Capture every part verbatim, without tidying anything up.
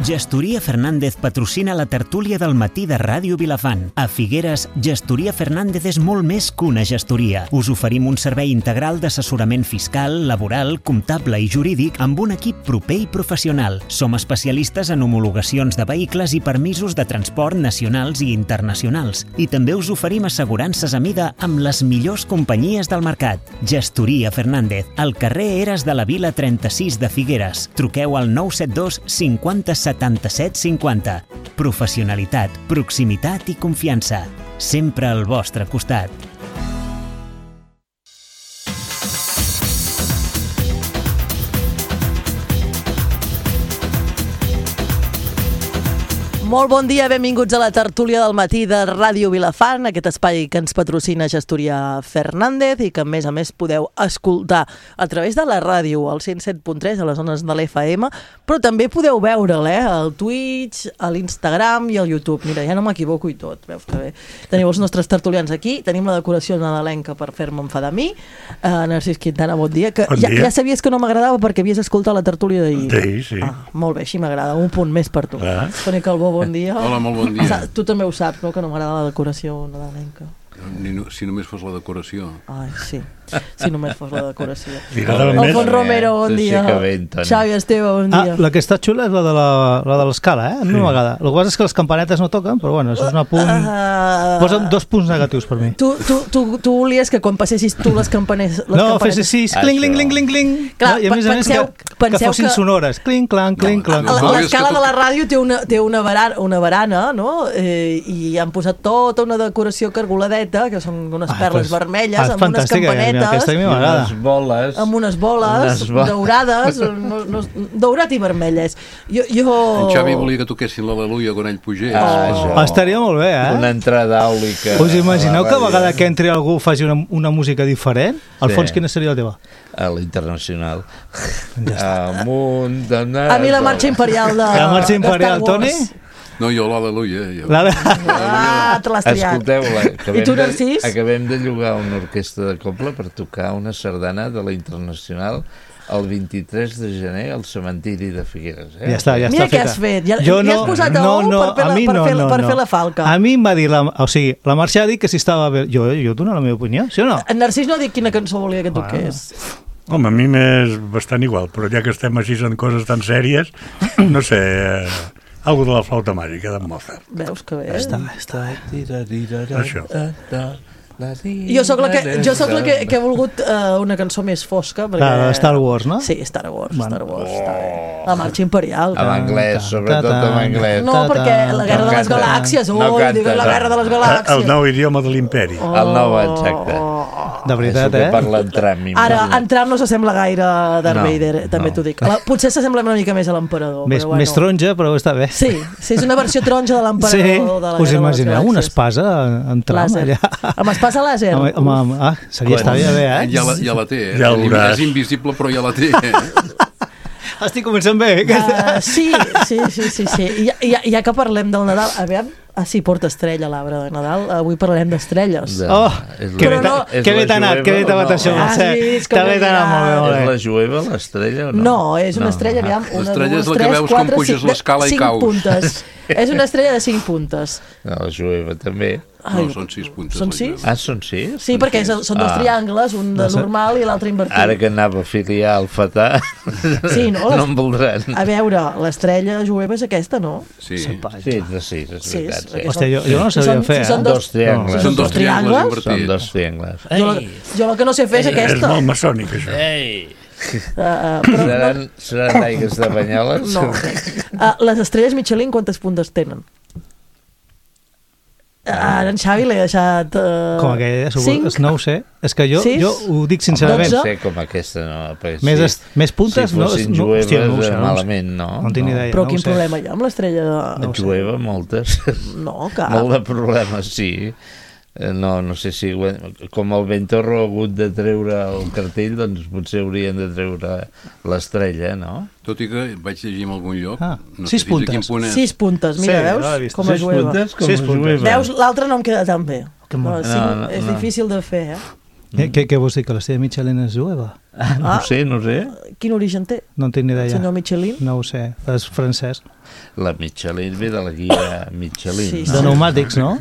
Gestoria Fernández patrocina la tertúlia del matí de Ràdio Vilafant. A Figueres, Gestoria Fernández és molt més que una gestoria. Us oferim un servei integral d'assessorament fiscal, laboral, comptable i jurídic amb un equip proper i professional. Som especialistes en homologacions de vehicles i permisos de transport nacionals i internacionals. I també us oferim assegurances a mida amb les millors companyies del mercat. Gestoria Fernández, al carrer Eres de la Vila trenta-sis de Figueres. Truqueu al nou set dos cinquanta setanta-set cinquanta. Professionalitat, proximitat i confiança. Sempre al vostre costat. Molt bon dia, benvinguts a la tertúlia del matí de Ràdio Vilafant, aquest espai que ens patrocina Gestoria Fernández i que a més a més podeu escoltar a través de la ràdio, al cent set punt tres, a les zones de l'F M, però també podeu veure'l, eh, al Twitch, a l'Instagram i al YouTube. Mira, ja no m'equivoco i tot, veus que bé. Teniu els nostres tertulians aquí, tenim la decoració nadalenca per fer-me enfadar a mi. Uh, Narcís Quintana, bon dia. Que bon ja, dia. Ja sabies que no m'agradava perquè havies escoltat la tertúlia d'ahir. D'ahir, sí. Ah, molt bé, així m'agrada, un punt més per tu. Ah. Toni Calbó, bon dia. Hola, molt bon dia. Tu també ho saps, no?, que no m'agrada la decoració nadalenca. Ni no, si només fos la decoració. Ai, sí, si només fos la decoració. Alfons Romero, bon dia. Xavi Esteve, bon dia. Ah, la que està xula és la de la, la de l'escala, eh? A mi sí. m'agrada. El que passa és que les campanetes no toquen, però bueno, això és un punt... Uh, Posa'm dos punts negatius per mi. Tu, tu, tu, tu volies que quan passessis tu les campanetes... Les no, campanetes... fessis així, cling, cling, cling, cling, cling. Clar, no? I a més a més penseu, que, que fossin que... sonores. Cling, clang, cling, no, clang. no, L'escala de la ràdio té una, té una, barana, una barana, no? Eh, I han posat tota una decoració cargoladeta, que són unes ah, perles pues, vermelles, ah, amb unes campanetes, aquesta a mi m'agrada. Unes boles, amb unes boles bo... daurades, no, no, daurat i vermelles. Jo, jo... En Xavi volia que toquessin l'Aleluia quan ell pugés. Ah, oh. Estaria molt bé, eh? Una entrada àulica. Us imagineu que a vegada que entri algú faci una, una música diferent? Alfons, sí. Quina seria la teva? A l'Internacional. Ja Amunt, d'anar... A mi la marxa imperial de... La marxa imperial, Toni? No, jo l'Aleluia. Jo. La... Ah, te l'has triat. Escolteu-la. I tu, Narcís? De, acabem de llogar una orquestra de cobla per tocar una sardana de la Internacional el vint-i-tres de gener al cementiri de Figueres. Eh? Ja està, ja Mira està què feta. has fet. Ja, jo ja no, has posat a no, ou no, per, fer la, per, no, fer, no, per no. fer la falca. A mi em va dir, la, o sigui, la Mercè ha dit que si estava bé. Jo, jo dono la meva opinió, sí o no? En Narcís no ha dit quina cançó volia que toqués. Home, a mi m'és bastant igual, però ja que estem així en coses tan sèries, no sé... Eh... Algo de la flauta màgica de Mozart. Veus que bé? Està, està. Això. Jo sóc la que, jo sóc la que, que he volgut uh, una cançó més fosca. Perquè... Clar, Star Wars, no? Sí, Star Wars. Bueno. Star Wars oh. està bé. La marxa imperial. En anglès, sobretot en anglès. No, perquè la guerra no de les canta, galàxies. No oh, canta, diuen la guerra de les galàxies. El nou idioma de l'imperi. Oh, el nou, exacte. Oh, de veritat, eh? eh? Parla en Trump. Ara, en Trump no s'assembla gaire a Darth no, Vader, també no. t'ho dic. La, potser s'assembla una mica més a l'emperador. Més, bueno. més taronja, però està bé. Sí, sí, és una versió taronja de l'emperador. Sí, de la us imagineu una espasa en Trump làser. allà? Amb espasa làser? Amb, amb, amb, ah, seria estaria bé, eh? Ja la, ja la té, eh? Ja és invisible, però ja la té, eh? Estic començant bé. Uh, sí, sí, sí, sí, sí. Ja, ja, ja que parlem del Nadal, a veure... Ah, sí, porta estrella l'arbre de Nadal. Avui parlarem d'estrelles. De, oh, que bé no, t'ha anat, que bé t'ha anat això. T'ha bé anat molt bé, molt bé. És la jueva, l'estrella, o no? No, és una estrella, aviam, una, l'estrella dues, és la que tres, veus quatre, com puges cinc, l'escala i cinc caus. puntes. És una estrella de cinc puntes. No, la jueva també. No, Ai, són sis puntes. Són sis? Ah, són sis? Sí, perquè són dos ah. triangles, un de normal i l'altre invertit. Ara que anava a filiar el fatà, sí, no, no em voldran. A veure, l'estrella jueva és aquesta, no? Sí, sí, de sis, és sí, veritat. Sí. Hòstia, jo, jo no sabia fer, eh? Són dos triangles. Són dos triangles invertits. Són dos triangles. Jo, jo el que no sé fer és aquesta. És molt maçònic, això. Ei! Uh, uh, però seran, no... seran aigues de Banyoles? No. Uh, les estrelles Michelin quantes puntes tenen? Ara en Xavi l'he deixat... Uh, com aquella, cinc? No ho sé. És que jo, jo ho dic sincerament. No sé com aquesta, no. Més, est, més puntes? Si fossin no, jueves, hòstia, no ho sé, malament, no. No, no tinc idea. Però no quin problema hi ha amb l'estrella? De... No jueva, moltes. No, cap. Molt de problemes, sí. No, no sé si... Com el Ventorro ha hagut de treure el cartell, doncs potser haurien de treure l'estrella, no? Tot i que vaig llegir en algun lloc... Ah, no sis sé puntes. Punt és. Sis puntes, mira, sí, veus? No com a jueva. Sis puntes, com sis a puntes. jueva. Veus, l'altre no em queda tan bé. No, no, no, és no. difícil de fer, eh? Mm. Què, què vols dir, que l'estrella Michelin és jueva? Ah, no Ah. sé, no sé. Quin origen té? No en tinc ni idea. Senyor Michelin? No ho sé, és francès. La Michelin ve de la guia Michelin. Sí, no? De pneumàtics, no?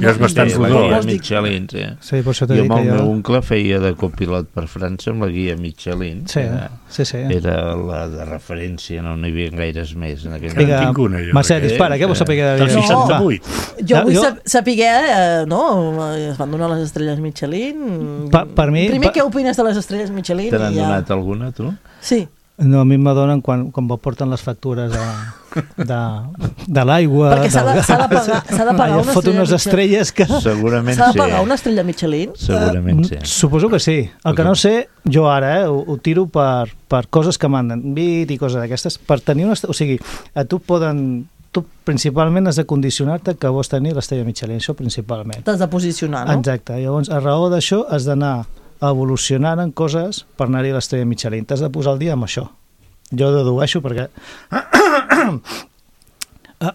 Jo és bastant Sí, la rodó. guia Vols dir- Michelin, sí. Sí, per això t'he Jo dit amb el que meu jo... oncle feia de copilot per França amb la guia Michelin. Sí, Era, sí, sí. era la de referència, no n'hi havia gaires més en aquell Vinga, moment. tinc una, jo, Mercè, d'aquest. dispara, què vols saber de Del No. seixanta-vuit. Jo Ja, vull jo- jo... saber, eh, no? Es van donar les estrelles Michelin. Pa- per mi- Primer, pa- què opines de les estrelles Michelin? Te n'han i ja... donat alguna, tu? Sí. No, a mi m'adonen quan, quan porten les factures de, de, de l'aigua... Perquè s'ha de, del s'ha de gas. pagar, s'ha de pagar Allà una fot estrella unes Michelin. estrelles que... Segurament S'ha de sí. pagar una estrella Michelin? Segurament sí. Mm, Suposo que sí. El que no sé, jo ara, eh, ho, ho tiro per, per coses que m'han dit i coses d'aquestes. Per tenir una... est- O sigui, a tu poden... Tu principalment has de condicionar-te que vols tenir l'estrella Michelin, això principalment. T'has de posicionar, no? Exacte. Llavors, a raó d'això, has d'anar evolucionant en coses per anar-hi a l'estrella Michelin. T'has de posar al dia amb això. Jo dedueixo perquè...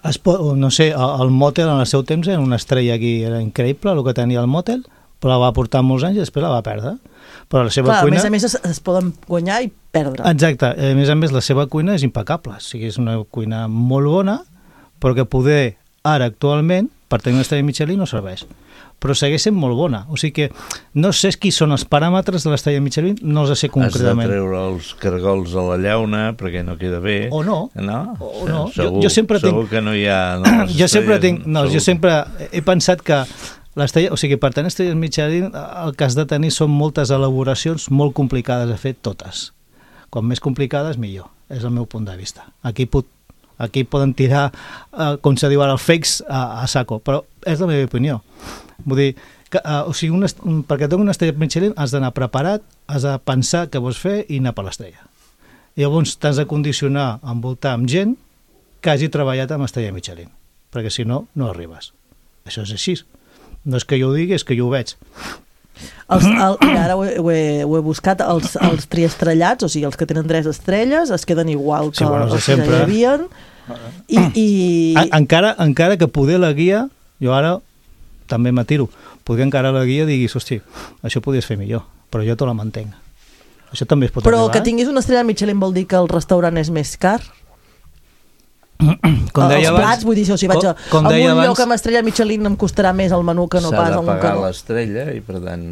Es pot, no sé, el el Motel en el seu temps era una estrella aquí, era increïble el que tenia el Motel, però la va portar molts anys i després la va perdre. Però la seva Clar, cuina... a més a més es, es poden guanyar i perdre. Exacte, a més a més la seva cuina és impecable, o sigui, és una cuina molt bona, però que poder ara actualment, per tenir una estrella Michelin no serveix, però segueix sent molt bona, o sigui que no sé qui són els paràmetres de l'estrella Michelin, no els sé Has de concretament. treure els cargols a la llauna perquè no queda bé. O no. No? O no. Segur, Jo- jo sempre tinc- segur que no hi ha... No, les Jo sempre estrelles, tinc, no, segur. jo sempre he pensat que l'estrella, o sigui, per tenir estrelles Michelin el que has de tenir són moltes elaboracions molt complicades de fer totes. Com més complicades millor, és el meu punt de vista. Aquí pot Aquí poden tirar, eh, com se diu ara, els fakes a, a saco, però és la meva opinió. Vull dir, que, eh, o sigui, una, est- perquè tingui una estrella Michelin has d'anar preparat, has de pensar què vols fer i anar per l'estrella. I llavors t'has de condicionar, envoltar amb gent que hagi treballat amb estrella Michelin, perquè si no, no arribes. Això és així. No és que jo ho digui, és que jo ho veig. Els, el, mira, ara ho he, ho, he, ho he buscat, els, els triestrellats, o sigui, els que tenen tres estrelles, es queden igual que Sí, bueno, els de els que ja sempre. hi havien. I, i... En, encara, encara que poder la guia, jo ara també m'atiro, poder encara la guia diguis, hosti, això podies fer millor, però jo te la mantenc. Això també es pot Però arribar. que tinguis una estrella Michelin vol dir que el restaurant és més car? Com deia els abans- plats, vull dir, si vaig a, com- com a un deia lloc abans- amb estrella Michelin em costarà més el menú que no S'ha pas de el que pagar no. l'estrella i per tant...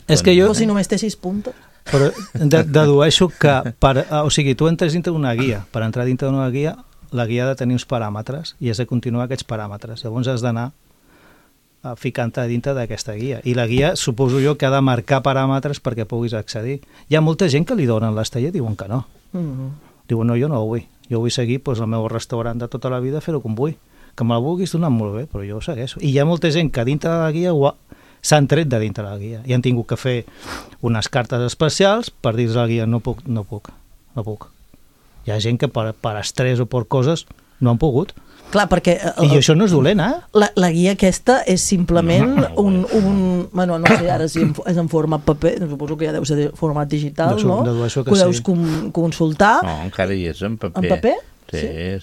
És que jo- O si només té sis puntes. Però de, dedueixo que, per, o sigui, tu entres dintre d'una guia, per entrar dintre d'una guia, la guia ha de tenir uns paràmetres i has de continuar aquests paràmetres. Llavors has d'anar eh, ficant-te dintre d'aquesta guia. I la guia, suposo jo, que ha de marcar paràmetres perquè puguis accedir. Hi ha molta gent que li donen l'estrella i diuen que no. Mm -hmm. Diuen, no, jo no ho vull. Jo vull seguir doncs, el meu restaurant de tota la vida, fer-ho com vull. Que me la vulguis donar molt bé, però jo ho segueixo. I hi ha molta gent que dintre de la guia ho ha- s'han tret de dintre de la guia i han tingut que fer unes cartes especials per dir a la guia, no puc, no puc, no puc. Hi ha gent que per, per estrès o per coses no han pogut. Clar, perquè eh, I això no és dolent, eh? la, la guia aquesta és simplement un, un... Bueno, no sé ara si en, és en format paper, suposo que ja deu ser de format digital, Dedueixo- no? dedueixo que ho deus sí. com, consultar. No, encara hi és en paper. En paper? Sí,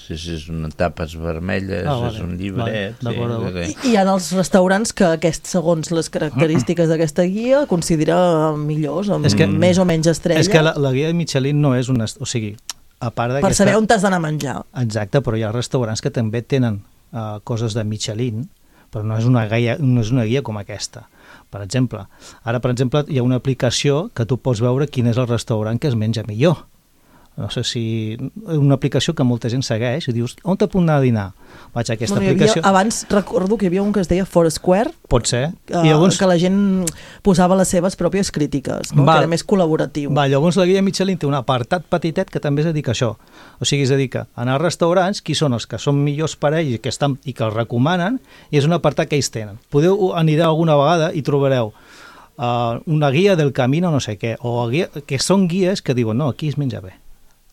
sí, sí, és una tapes vermelles, Ah, vale, és un vale, llibret. d'acord, d'acord. sí, I sí. hi ha els restaurants que aquest, segons les característiques d'aquesta guia, considera millors, amb És que- més o menys estrelles, És que la, la guia de Michelin no és una... O sigui, a part per d'aquesta... saber on t'has d'anar a menjar. Exacte, però hi ha restaurants que també tenen uh, coses de Michelin, però no és, una guia, no és una guia com aquesta. Per exemple, ara, per exemple, hi ha una aplicació que tu pots veure quin és el restaurant que es menja millor. No sé si... Una aplicació que molta gent segueix i dius, on te puc anar a dinar? Vaig a aquesta Bueno, hi havia, aplicació... abans recordo que hi havia un que es deia Foursquare, Pot ser. eh, I llavors, que la gent posava les seves pròpies crítiques, no? Val. Que era més col·laboratiu. va, llavors la guia Michelin té un apartat petitet que també es dedica a això. O sigui, es dedica a anar a restaurants, qui són els que són millors per ells i que, estan, i que els recomanen, i és un apartat que ells tenen. Podeu anireu alguna vegada i trobareu uh, una guia del camino no sé què, o guia, que són guies que diuen, no, aquí es menja bé.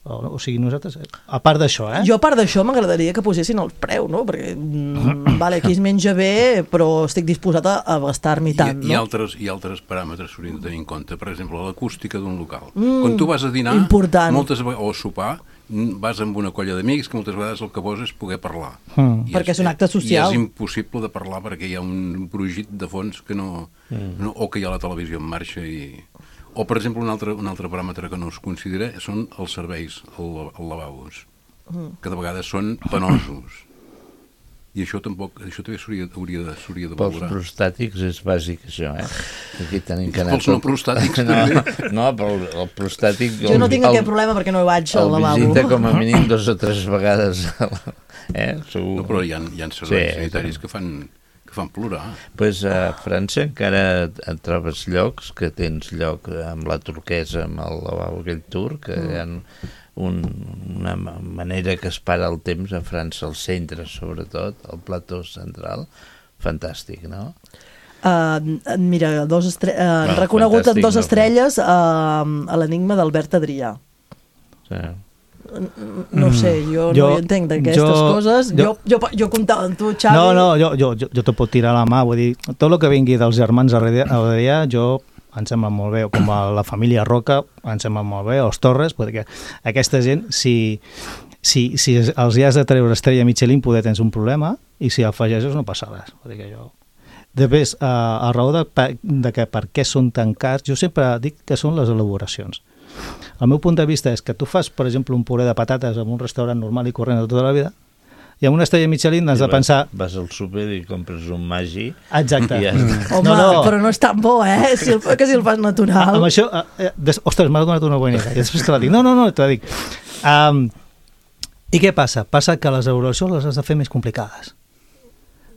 O, o sigui, nosaltres, a part d'això, eh? Jo, a part d'això, m'agradaria que posessin el preu, no? Perquè, mm, vale, aquí es menja bé, però estic disposat a, a gastar-m'hi tant, I, i, no? altres, I altres paràmetres s'haurien de tenir en compte. Per exemple, l'acústica d'un local. Mm, Quan tu vas a dinar, important. moltes vegades, o a sopar, mm, vas amb una colla d'amics que moltes vegades el que vols és poder parlar. Mm. I Perquè és un acte social. I és impossible de parlar perquè hi ha un brugit de fons que no, mm. no o que hi ha la televisió en marxa i... O, per exemple, un altre, un altre paràmetre que no es considera són els serveis, el, el lavabos, mm. que de vegades són penosos. I això tampoc, això també s'hauria de, s'hauria de valorar. Pels prostàtics és bàsic, això, eh? Aquí tenim que anar... Pels no prostàtics, no, també. No, però el prostàtic... Jo no tinc el, aquest problema perquè no hi vaig al lavabo. El visita com a mínim dos o tres vegades. Eh? Segur. No, però hi ha, hi ha serveis sí, sanitaris que fan, que fan plorar. Doncs pues a França encara et trobes llocs que tens lloc amb la turquesa, amb el lavabo aquell turc, que mm. hi ha... Un, una manera que es para el temps a França, al centre sobretot, al plató central, fantàstic, no? Uh, mira, dos estre uh, bueno, reconegut en dos no, estrelles uh, a l'enigma d'Albert Adrià. Sí. No sé, jo, jo no hi entenc d'aquestes coses. Jo, jo, jo, jo comptava amb tu, Xavi. No, no, jo, jo, jo, jo te puc tirar la mà, vull dir, tot el que vingui dels germans Adrià, jo... em sembla molt bé, com a la família Roca, em sembla molt bé, els Torres, perquè aquesta gent, si, si, si els hi has de treure estrella Michelin, poder tens un problema, i si afegeixes no passa res. Vull dir que jo... Després, a, a raó de, de que per què són tan cars, jo sempre dic que són les elaboracions. El meu punt de vista és que tu fas, per exemple, un puré de patates en un restaurant normal i corrent de tota la vida, i amb una estrella Michelin has de pensar... Vas al súper i compres un Maggi... Exacte. I ja Home, no, no. però no és tan bo, eh? Si el, que si el fas natural. Amb això... Eh, des, ostres, m'ha donat una bona idea. I després te la dic. No, no, no, te la dic. Um, I què passa? Passa que les elaboracions les has de fer més complicades.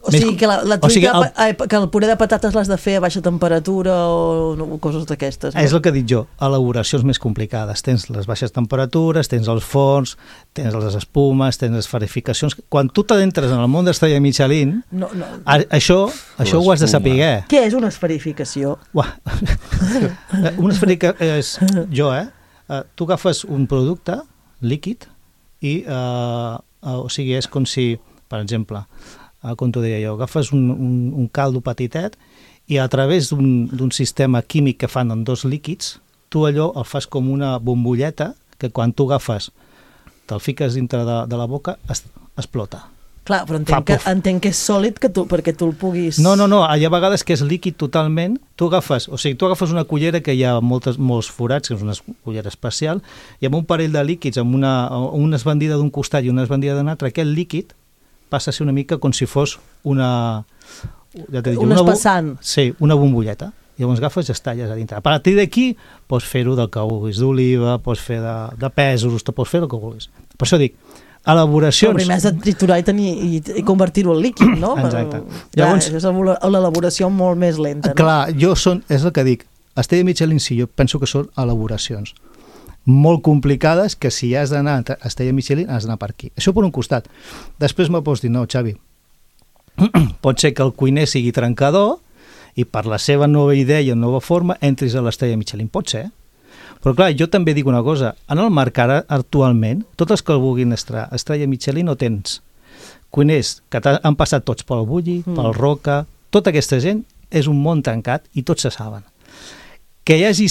O sigui, que la, la truita, o sigui, el, el, que el puré de patates l'has de fer a baixa temperatura o, no, o coses d'aquestes. No? És el que dic jo, elaboracions més complicades. Tens les baixes temperatures, tens els forns, tens les espumes, tens les esferificacions... Quan tu t'adentres en el món d'estrella Michelin, no, no. A, això, això ho has de saber. Què és una esferificació? Una esferificació és... Jo, eh? Uh, tu agafes un producte líquid i, uh, uh, o sigui, és com si, per exemple... com t'ho deia jo, agafes un, un, un caldo petitet i a través d'un sistema químic que fan en dos líquids, tu allò el fas com una bombolleta que quan tu agafes, te'l fiques dintre de, de la boca, es, explota. Clar, però entenc que, entenc que és sòlid que tu, perquè tu el puguis... No, no, no, hi ha vegades que és líquid totalment, tu agafes, o sigui, tu agafes una cullera que hi ha moltes, molts forats, que és una cullera especial, i amb un parell de líquids, amb una, una esbandida d'un costat i una esbandida d'un altre, aquest líquid passa a ser una mica com si fos una... Ja dic, un una espassant. Sí, una bombolleta. Llavors agafes i es talles a dintre. A partir d'aquí pots fer-ho del que vulguis, d'oliva, pots fer de, de pèsols, te pots fer el que vulguis. Per això dic, elaboracions... Però primer has de triturar i, tenir, i, i convertir-ho en líquid, no? Exacte. Però, Llavors, ja, és l'elaboració molt més lenta. No? Clar, jo són, és el que dic, Estrella Michelin sí, jo penso que són elaboracions molt complicades que si has d'anar a Estrella Michelin has d'anar per aquí. Això per un costat. Després me pots dir, no, Xavi, pot ser que el cuiner sigui trencador i per la seva nova idea i nova forma entris a l'Estrella Michelin. Pot ser. Però clar, jo també dic una cosa. En el mercat actualment, tots els que el vulguin estar a Estrella Michelin no tens cuiners que han passat tots pel Bulli, mm. pel Roca, tota aquesta gent és un món tancat i tots se saben. Que hi hagi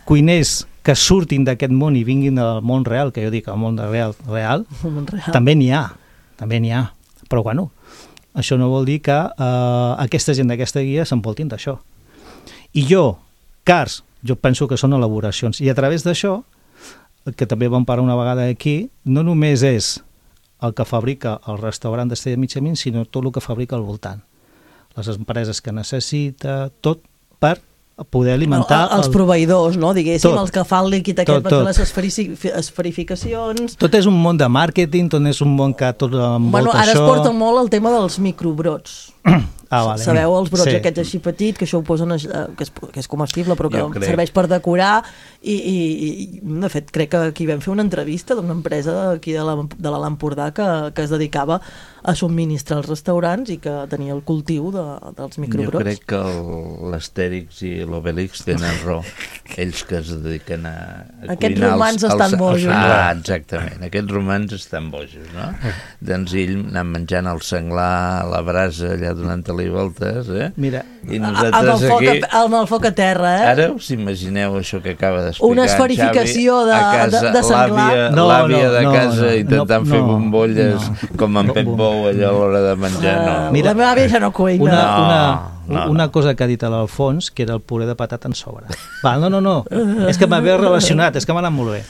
cuiners que surtin d'aquest món i vinguin al món real, que jo dic el món real, real, real. també n'hi ha, també n'hi ha. Però bueno, això no vol dir que eh, aquesta gent d'aquesta guia s'envoltin d'això. I jo, cars, jo penso que són elaboracions. I a través d'això, que també vam parlar una vegada aquí, no només és el que fabrica el restaurant d'Estrella Michelin, sinó tot el que fabrica al voltant. Les empreses que necessita, tot per poder alimentar... El, els el... proveïdors, no? Diguéssim, tot, els que fan el líquid aquest tot, per fer tot. les esferificacions... Tot és un món de màrqueting, tot és un món que tot envolta bueno, ara això... es porta molt el tema dels microbrots. Ah, vale. Sabeu, els brots sí. aquests així petit, que això ho posen, que és, que és comestible, però que serveix per decorar, i, i, i de fet crec que aquí vam fer una entrevista d'una empresa aquí de l'Alt Empordà que, que es dedicava a subministrar als restaurants i que tenia el cultiu de, dels microbrots. Jo crec que l'Astèrix i l'Obélix tenen raó, ells que es dediquen a, a aquests cuinar romans els, estan els, bojos. Els, ah, exactament, aquests romans estan bojos, no? Doncs ell anant menjant el senglar a la brasa allà donant-li voltes, eh? Mira, i nosaltres amb el, foc aquí... a, amb el foc a terra, eh? Ara us imagineu això que acaba d'explicar una esferificació Xavi, de, a casa, de, de senglar. L'àvia no, no, de no, casa no, intentant no, fer no, bombolles no, com en Pep Bou allà a l'hora de menjar, no. Mira, la meva àvia ja no cuina. Una, no. una, no, una no. cosa que ha dit l'Alfons, que era el puré de patata en sobre. Va, no, no, no, és que m'havia relacionat, és que m'ha anat molt bé.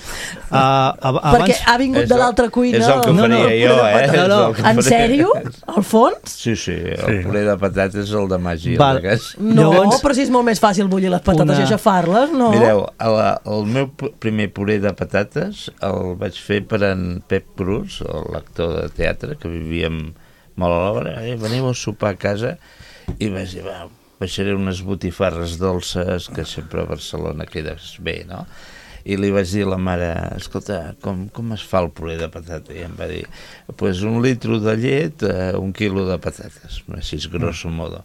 Uh, abans... Perquè ha vingut És de el- l'altra cuina. és el que No, no, faria jo, eh? no, no. És el que En faria. sèrio? Alfons? Sí, sí, el Sí. puré de patates és el de màgia. Val. Llavors... No, Llavors- però si és molt més fàcil bullir les patates Una- i aixafar-les, no? Mireu, el, el meu pu- primer puré de patates el vaig fer per en Pep Cruz, l'actor de teatre, que vivíem molt a l'obra. Eh, veniu a sopar a casa i vaig dir, va, baixaré unes botifarres dolces, que sempre a Barcelona quedes bé, no? I li vaig dir a la mare, escolta, com, com es fa el puré de patata? I em va dir, pues un litro de llet, eh, un quilo de patates, així grosso modo.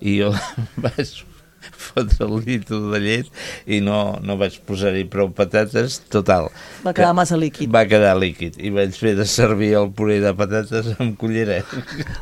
I jo vaig fotre el litro de llet i no, no vaig posar-hi prou patates, total. Va quedar massa líquid. Va quedar líquid i vaig fer de servir el puré de patates amb culleret.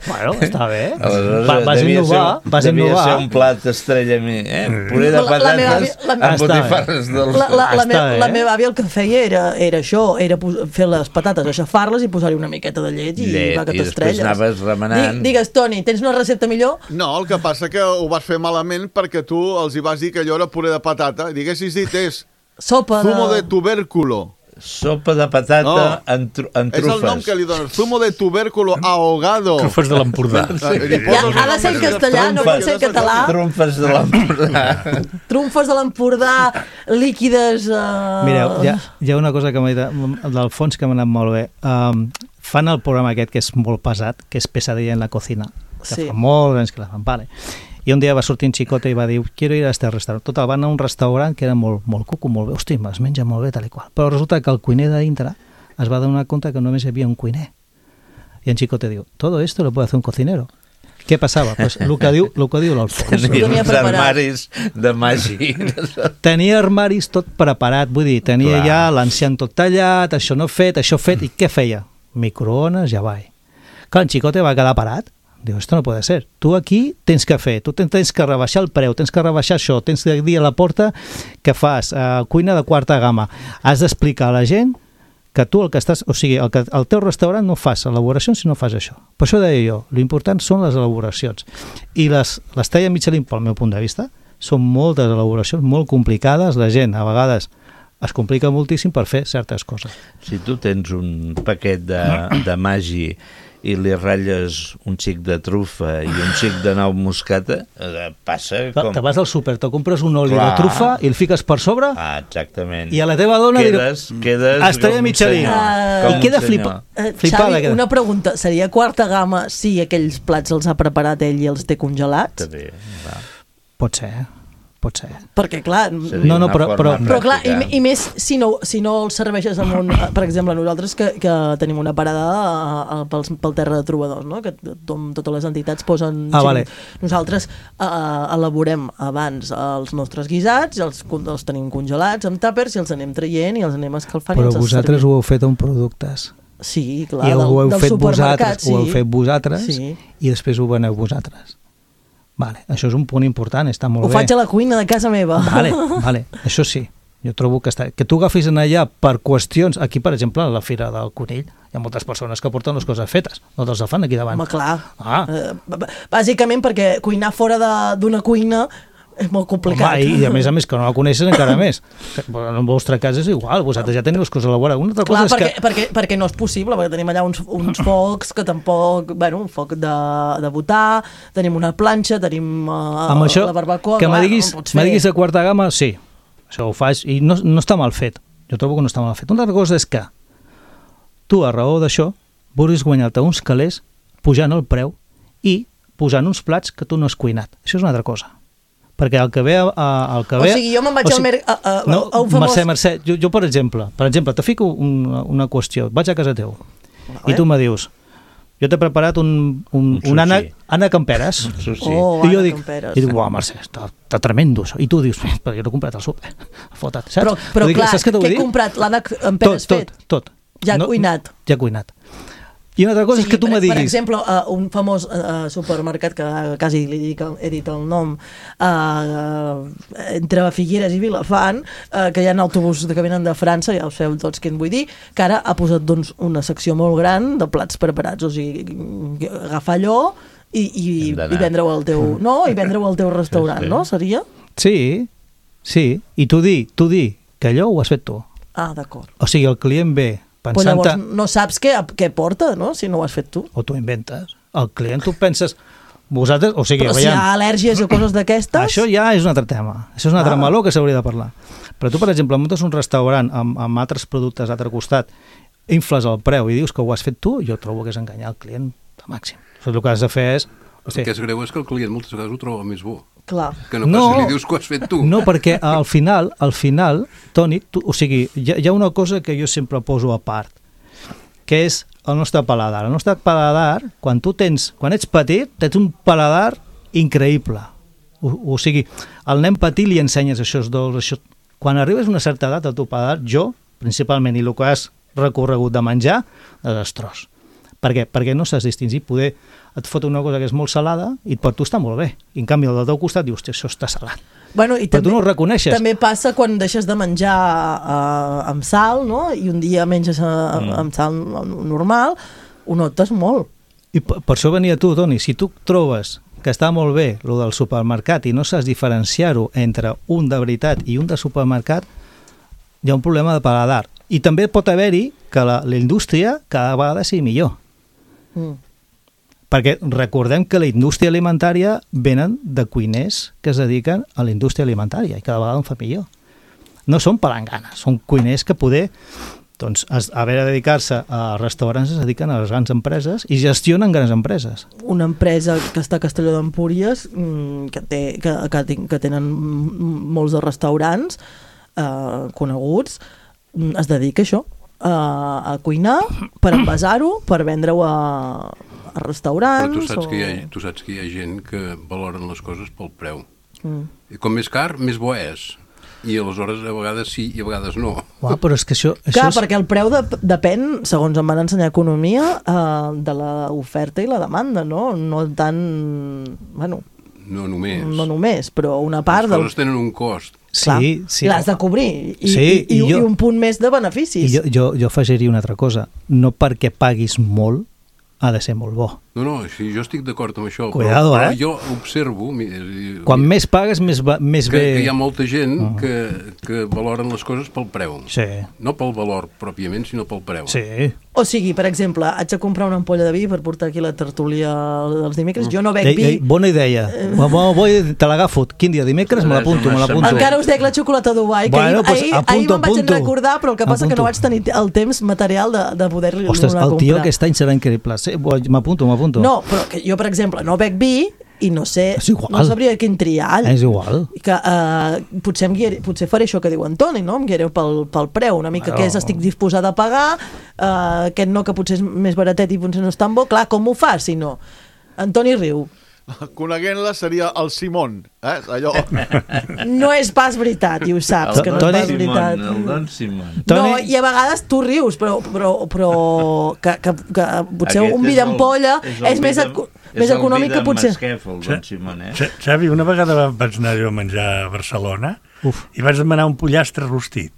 Bueno, està bé. Aleshores, Va, vas devia innovar, ser, vas devia innovar. ser un plat estrella a mi, eh? Puré de La- la patates meva àvia- la- amb Està bé. botifarres dolces. La, la, la, me, Està bé. la meva àvia el que feia era, era això, era pos- fer les patates, aixafar-les i posar-hi una miqueta de llet i Llet, va que i després t'estrelles. anaves remenant. Di- Digues, Toni, tens una recepta millor? No, el que passa que ho vas fer malament perquè tu els hi vas dir que allò era puré de patata i diguessis dit és Sopa de... zumo de tubérculo. Sopa de patata No. en, tru en És el nom trufes. que li dones. Zumo de tubérculo ahogado. Trufes de l'Empordà. Ah, i li Ja, poses ha de ser en castellà, no pot ser en català. Trumfes de l'Empordà. Trumfes de l'Empordà, líquides... Uh... Mireu, hi ha, hi ha una cosa que m'ha dit d'Alfons que m'ha anat molt bé. Um, fan el programa aquest que és molt pesat, que és Pesadilla en la cocina, que Sí. fa molts anys que la fan. Vale. I un dia va sortir un xicote i va dir, quiero ir a este restaurant. Total, van a un restaurant que era molt, molt cuco, molt bé, hosti, es menja molt bé, tal i qual. Però resulta que el cuiner de dintre es va donar compte que només hi havia un cuiner. I en xicote diu, todo esto lo puede hacer un cocinero. Què passava? Pues el que diu, el que diu l'Alfons. Tenia tenia uns preparat. armaris de màgia. Tenia armaris tot preparat, vull dir, tenia Clar. ja l'enciam tot tallat, això no fet, això fet, i què feia? Microones, ja va. Clar, en Xicote va quedar parat. Diu, esto no puede ser. Tu aquí tens que fer, tu tens que rebaixar el preu, tens que rebaixar això, tens que dir a la porta que fas uh, cuina de quarta gamma. Has d'explicar a la gent que tu el que estàs, o sigui, el, que, el teu restaurant no fas elaboracions si no fas això. Per això deia jo, l'important són les elaboracions. I les, les talla Michelin, pel meu punt de vista, són moltes elaboracions, molt complicades, la gent a vegades es complica moltíssim per fer certes coses. Si tu tens un paquet de, de magi i li ratlles un xic de trufa i un xic de nou moscata, eh, passa Clar, com... te vas al súper, te compres un oli Clar. de trufa i el fiques per sobre Ah, exactament. i a la teva dona Quedes, quedes Estrella com un Michelin. senyor, Ah. com I un queda senyor. flipa, Eh, flipada. Xavi, queda. una pregunta. Seria quarta gamma si aquells plats els ha preparat ell i els té congelats? També, va. Pot ser, pot ser. Perquè, clar... Seria No, no, una però- forma però- Però clar, i, pràctica. i més si no, si no els serveixes amb un... Per exemple, nosaltres que, que tenim una parada a, a, pels, pel terra de trobadors, no? Que tom, totes les entitats posen... Ah, gent. vale. Nosaltres uh, elaborem abans els nostres guisats, i els, con- els tenim congelats amb tàpers i els anem traient i els anem escalfant. i Però els vosaltres servim. ho heu fet amb productes. Sí, clar, I del, ho heu del fet supermercat, vosaltres, ho heu sí. fet vosaltres Sí. i després ho veneu vosaltres. Vale, això és un punt important, està molt Ho bé. faig a la cuina de casa meva. Vale, vale, això sí. Jo trobo que està... Que tu agafis en allà per qüestions... Aquí, per exemple, a la Fira del Conill, hi ha moltes persones que porten les coses fetes. No te'ls fan aquí davant. Home, clar. Ah. Eh, b- b- bàsicament perquè cuinar fora de- d'una cuina és molt complicat. Home, i, i a més a més que no la coneixes encara més. Que, en el vostre cas és igual, vosaltres ja teniu les coses elaborades. Una altra Clar, cosa perquè, és que... perquè, perquè no és possible, perquè tenim allà uns, uns focs que tampoc... Bueno, un foc de, de botar, tenim una planxa, tenim uh, Amb això, la barbacoa... que clar, me diguis, no pots me fer. diguis de quarta gamma, sí, això ho faig, i no, no està mal fet. Jo trobo que no està mal fet. Una altra cosa és que tu, a raó d'això, vulguis guanyar-te uns calés pujant el preu i posant uns plats que tu no has cuinat. Això és una altra cosa. Perquè el que ve... A, el que O ve sigui, jo me'n vaig o al mer- a- a- no, a un famós- Mercè, Mercè, jo, jo per exemple, per exemple, te fico una, una qüestió, vaig a casa teu Vale. i tu me dius, jo t'he preparat un, un, Un un, sushi. ànec, ànec amb peres. Això sí. Oh, I jo Anna dic, Camperes. i dic, uau, Mercè, està, està tremendo això. I tu dius, però jo no he comprat el súper. Fota't, saps? Però, però Vull dir, clar, saps què t'ho que vull he dir? comprat l'ànec amb Tot, peres tot, fet. tot. Ja cuinat. Ja cuinat. I una altra cosa O és que tu per, me diguis... Per exemple, uh, un famós uh, supermercat que quasi li dic, he dit el nom, uh, entre Figueres i Vilafant, uh, que hi ha autobusos que venen de França, ja ho sabeu tots què en vull dir, que ara ha posat doncs, una secció molt gran de plats preparats, o sigui, agafar allò i, i, i vendre-ho al teu... No, i vendre-ho al teu restaurant, sí, sí. no? Seria? Sí, sí. I tu di, tu di que allò ho has fet tu. Ah, d'acord. O sigui, el client ve pensant... Però llavors no saps què, què porta, no?, si no ho has fet tu. O tu inventes. El client tu penses... Vosaltres, o sigui, però si hi ha al·lèrgies o coses d'aquestes... Això ja és un altre tema. Això és un altre ah. meló que s'hauria de parlar. Però tu, per exemple, muntes un restaurant amb, amb altres productes a l'altre costat, infles el preu i dius que ho has fet tu, jo trobo que és enganyar el client al màxim. El que has de fer és... El que és greu és que el client moltes vegades ho troba més bo. Clar. Que no, no pas li dius que ho has fet tu. No, perquè al final, al final, Toni, tu, o sigui, hi ha, hi ha una cosa que jo sempre poso a part, que és el nostre paladar. El nostre paladar, quan tu tens, quan ets petit, tens un paladar increïble. O, o sigui, al nen petit li ensenyes això dolç, això... Quan arribes a una certa edat, el teu paladar, jo, principalment, i el que has recorregut de menjar, desastrós. Per què? Perquè no saps distingir. Poder et fot una cosa que és molt salada i per tu està molt bé. I en canvi, al del teu costat dius, això està salat. Bueno, i però també, tu no ho reconeixes. També passa quan deixes de menjar uh, amb sal, no? I un dia menges uh, mm. amb sal normal, ho notes molt. I per, per això venia tu, Toni. Si tu trobes que està molt bé el del supermercat i no saps diferenciar-ho entre un de veritat i un de supermercat, hi ha un problema de paladar. I també pot haver-hi que la, la indústria cada vegada sigui millor. Mm. Perquè recordem que la indústria alimentària venen de cuiners que es dediquen a la indústria alimentària i cada vegada en fa millor. No són palanganes, són cuiners que poder, doncs, a haver de dedicar-se a restaurants es dediquen a les grans empreses i gestionen grans empreses. Una empresa que està a Castelló d'Empúries, que, té, que, que, que tenen molts de restaurants eh, coneguts, es dedica a això, a, a cuinar, per envasar-ho, per vendre-ho a, a restaurants... Però tu saps, o... que hi ha, tu saps que hi ha gent que valoren les coses pel preu. Mm. I com més car, més bo és. I aleshores a vegades sí i a vegades no. Uau, però és que això... això Clar, és... perquè el preu de, depèn, segons em van ensenyar economia, eh, de l'oferta i la demanda, no? No tant... Bueno... No només. No només, però una part... Les coses del... tenen un cost. Clar, sí, sí. l'has de cobrir i, sí, i, i, jo, i un punt més de beneficis. I jo, jo, jo afegiria una altra cosa. No perquè paguis molt ha de ser molt bo. No, no, sí, jo estic d'acord amb això. Cuidado, però, eh? però jo observo... Quan més pagues, més, va, més que, bé... Que hi ha molta gent uh -huh. que, que valoren les coses pel preu. Sí. No pel valor pròpiament, sinó pel preu. Sí. O sigui, per exemple, haig de comprar una ampolla de vi per portar aquí la tertúlia dels dimecres. Jo no bec ei, vi... Ei, bona idea. Eh... Vull, te l'agafo. Quin dia? Dimecres? Me l'apunto, me l'apunto. Encara us dec la xocolata Dubai, que bueno, ahir, pues, ahir, apunto, ahir me'n vaig apunto. recordar, però el que passa apunto. que no vaig tenir el temps material de, de poder-li donar Ostres, comprar. el tio aquest any serà increïble. Sí, m'apunto, m'apunto. No, però que jo, per exemple, no bec vi i no sé, no sabria quin triar. És igual. I que, uh, potser, em guiaré, potser faré això que diu en Toni, no? Em guiaré pel, pel preu, una mica, bueno. Que és, estic disposada a pagar, uh, aquest no, que potser és més baratet i potser no és tan bo. Clar, com ho fas, si no? En Toni riu. Coneguent-la seria el Simón, eh? Allò... No és pas veritat, i ho saps, el que no és pas Simón, veritat. El Don Simón. No, i a vegades tu rius, però, però, però que, que, que potser Aquest un vi d'ampolla és, és més, de, més econòmic que potser... És el Masquef, el Don Simón, eh? Xavi, una vegada vaig anar jo a menjar a Barcelona Uf. i vaig demanar un pollastre rostit.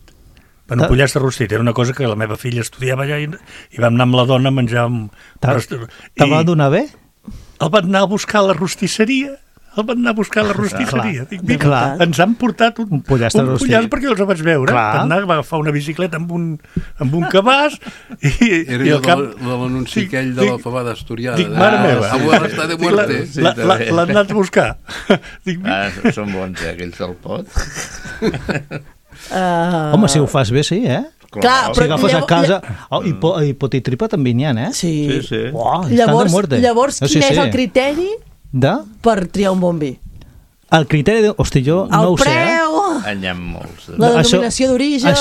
Bueno, un pollastre rostit era una cosa que la meva filla estudiava allà i, i vam anar amb la dona a menjar... T'ha va donar bé? El van anar a buscar a la rostisseria, el van anar a buscar a la rostisseria. Dic, Dic, clar. Ens han portat un, un pollastre un rostit. pollastre perquè els vaig veure. Clar. Van anar a agafar una bicicleta amb un, amb un cabàs i, era i el cap... de l'anunci sí, aquell de la fabada asturiana. Dic, mare meva. Abuela està de muerte. L'han anat a buscar. Dic, ah, són bons, eh, aquells del pot. Uh... Home, si ho fas bé, sí, eh? Clar, si agafes llavors, a casa... Oh, i, po, i potitripa també n'hi ha, eh? Sí. Sí, sí. Uau, llavors, llavors no, quin sí, és sí. el criteri de? per triar un bon vi? El criteri de... Hosti, jo el no ho preu, sé, eh? En hi ha molts. La denominació d'origen,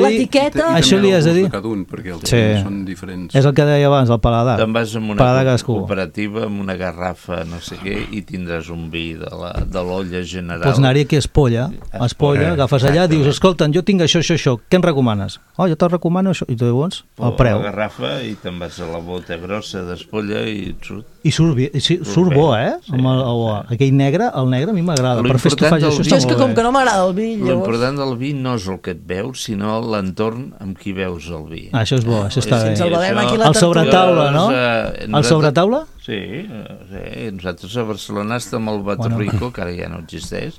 l'etiqueta... Això li has de dir... Cada un, perquè els sí. són diferents. És el que deia abans, el paladar. Te'n vas amb una paladar cooperativa, amb una garrafa, no sé què, i tindràs un vi de l'olla general. Pots anar-hi aquí a Espolla, a Espolla, agafes allà, dius, escolta, jo tinc això, això, això, què em recomanes? Oh, jo te'l recomano això, i tu llavors, el preu. La garrafa i te'n vas a la bota grossa d'Espolla i et surt... I surt, bé, sí, surt bo, eh? Sí, amb el, el, aquell negre, el negre a mi m'agrada. Per fer estofatge, això jo és que com que no m'agrada el vi conill. Llavors... L'important del vi no és el que et veus, sinó l'entorn amb qui veus el vi. Ah, això és bo, això està bé. Ens el bevem aquí a la El sobretaula, no? Eh, El sobretaula? Sí, eh, sí, nosaltres a Barcelona estem al Batorrico, bueno. que ara ja no existeix,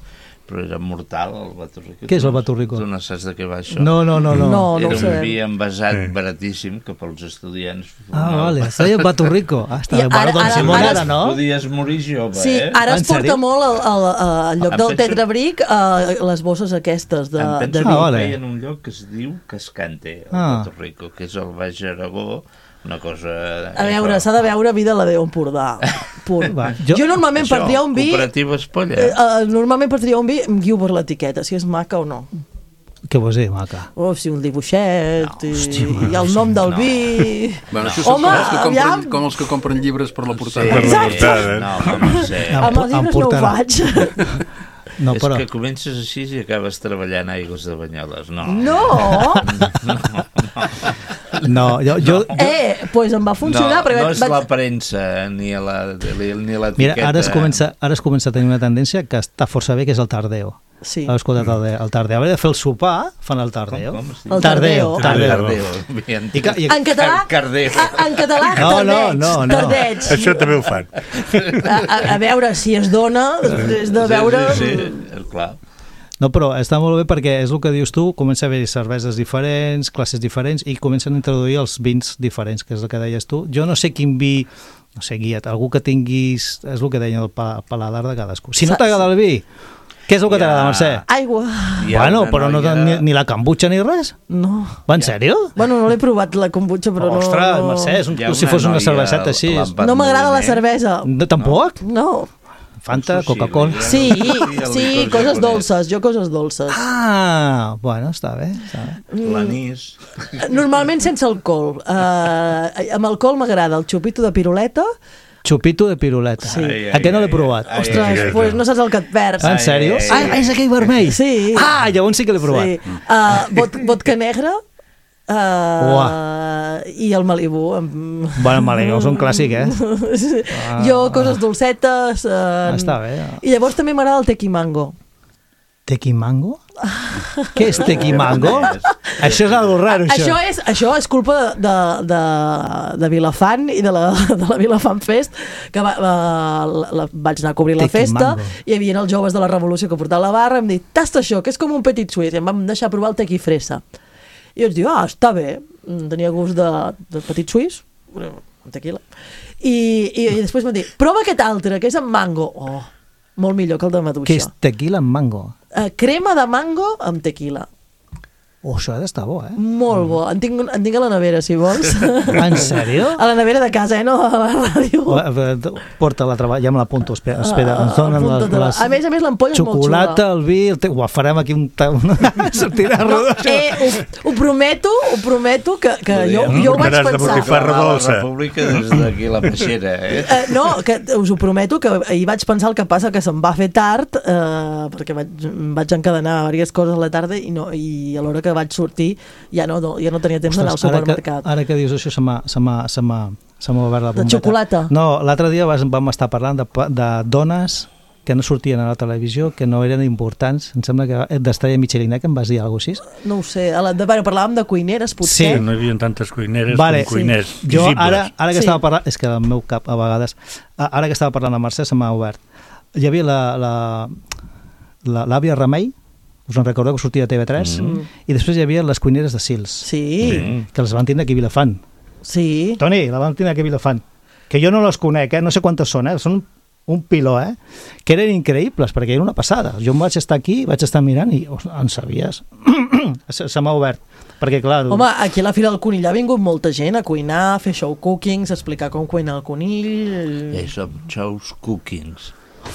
però era mortal el Batorrico. Què és el Batorrico? Tu no saps de què va això? No, no, no. no. no, no era un vi envasat sí. baratíssim que pels estudiants... Ah, no, vale, es deia Batorrico. Ah, està bé. Bueno, doncs Simón ara, ara, no? Podies morir jove, sí, eh? ara es En sèrio? porta molt al, al, al lloc Em del penso- tetrabric uh, les bosses aquestes de, Em penso de que vi. Ah, ho vale. feien en un lloc que es diu Cascante, al Ah. Batorrico, que és el Baix Aragó, una cosa... A veure, s'ha de veure vi de la Déu Empordà. Punt. Va, jo... jo- jo normalment per triar un vi... Cooperativa Espolla. Eh, uh, normalment per triar un vi em guio per l'etiqueta, si és maca o no. Què vols dir, maca? Oh, si un dibuixet, No, i, hòstia, i el nom del no. vi... Bueno, això són Home, com els, que compren, aviam. com els que compren llibres per la portada. Per la Exacte. portada. No, home, no sé. Em Amb po- els em llibres no ho portarà. faig. No, és però... que comences així i acabes treballant a Aigües de Banyoles. No. No! No, jo... jo, jo... Eh, doncs pues em va funcionar. no, perquè no és vaig... la premsa ni la, ni l'etiqueta. Mira, ara es, comença, ara es comença a tenir una tendència que està força bé, que és el tardeo. Sí. Heu escoltat el, de, el tardeo? A veure, de fer el sopar, fan el tardeo. Com, com es diu? El tardeo. Tardeo. Tardeo. Bien. I, ca- i, En català, Cardeo. a- en català, No, no, tardeig, no, no. tardeig. Això també ho fan. A, a, a veure si es dona, després de veure... Sí, sí, sí, clar. No, però està molt bé perquè és el que dius tu, comença a haver cerveses diferents, classes diferents, i comencen a introduir els vins diferents, que és el que deies tu. Jo no sé quin vi, no sé, guia't, algú que tinguis, és el que deia el pa- paladar de cadascú. Si no t'agrada el vi, què és el que Ja. t'agrada, Mercè? Aigua. Hi ha Bueno, una però no noia- ni, ni la kombucha ni res? No. Va, en sèrio? Bueno, no l'he provat, la kombucha, però Ostres, no... Mercè, és un, Hi ha si una fos una noia cerveseta així. a és- la- No m'agrada la Moviment. cervesa. No, tampoc? No. Fanta, Sushi, Coca-Cola. ja. Sí, el sí, licor coses japonès. dolces, jo coses dolces. Ah, bueno, està bé. Està bé. L'anís. Normalment sense alcohol. Uh, amb alcohol m'agrada el xupito de piruleta. Xupito de piruleta. Sí. Ai, ai, A què no l'he ai, provat? ai, Ostres, ai, ai. pues no saps el que et perds. Ah, en sèrio? ai, Ah, és aquell vermell? Sí. Ah, llavors sí que l'he provat. Sí. Uh, vot, vodka negra uh, i el Malibu. Amb... Bueno, Malibu és un clàssic, eh? Ah. Jo, coses dolcetes. Uh, Està bé. I llavors també m'agrada el tequimango. Tequimango? Què és tequimango? Això és algo raro, això. Això és, això és culpa de, de, de Vilafant i de la, de la Vilafant Fest, que va, va, la, la, vaig anar a cobrir la festa, Tequimango. i hi havia els joves de la Revolució que portaven la barra, i em dit, tasta això, que és com un petit suís, i em vam deixar provar el tequifresa. I jo ens diu, ah, està bé, tenia gust de, de petit suís, amb tequila, i, i, i després m'ha dit, prova aquest altre, que és amb mango. Oh, molt millor que el de maduixa. Què és tequila amb mango? Uh, crema de mango amb tequila. Oh, això ha d'estar bo, eh? Molt bo. En tinc, en tinc a la nevera, si vols. En sèrio? A la nevera de casa, eh? No a la ràdio. Porta-la a treballar, ja me l'apunto, espera, espera, ens donen les, Apunta-te-la. les... A més a més, l'ampolla és molt Xocolata, xula. el vi, el te... Uah, farem aquí un... ta- una... Sortirà No, rodó. eh, ho, ho prometo, ho prometo, que, que jo, No, jo ho vaig portaràs de pensar. botifarra La dolça. República des d'aquí la peixera, eh? Eh, no, que us ho prometo, que ahir vaig pensar, el que passa que se'm va fer tard, eh, perquè vaig, em vaig encadenar diverses coses a la tarda i, no, i a l'hora que vaig sortir ja no, ja no tenia temps d'anar al Ostres, ara que, supermercat. ara que dius això se m'ha se m'ha- se m'ha se m'ha obert la De bombeta. xocolata? No, l'altre dia vas, vam estar parlant de, pa- de dones que no sortien a la televisió, que no eren importants. Em sembla que d'Estrella Michelina, que em vas dir alguna cosa així. No ho sé, a la, de, bueno, parlàvem de cuineres, potser. No hi havia tantes cuineres Vale, com cuiners sí. Jo visibles. ara, ara que Sí. estava parlant, és que el meu cap a vegades, a- ara que estava parlant amb Mercè se m'ha obert. Hi havia la, la, la, l'àvia Remei, us en recordeu que sortia a T V tres? Mm. I després hi havia les cuineres de Sils, Sí, que les van tindre aquí a Vilafant. sí. Toni, la van tindre aquí a Vilafant. Que jo no les conec, eh? No sé quantes són, eh? Són un piló, eh? Que eren increïbles, perquè era una passada. Jo em vaig estar aquí, vaig estar mirant i oh, en sabies. se se m'ha obert. Perquè, clar... Home, aquí a la Fira del Conill ha vingut molta gent a cuinar, a fer show cookings, a explicar com cuinar el conill... I això, shows cookings.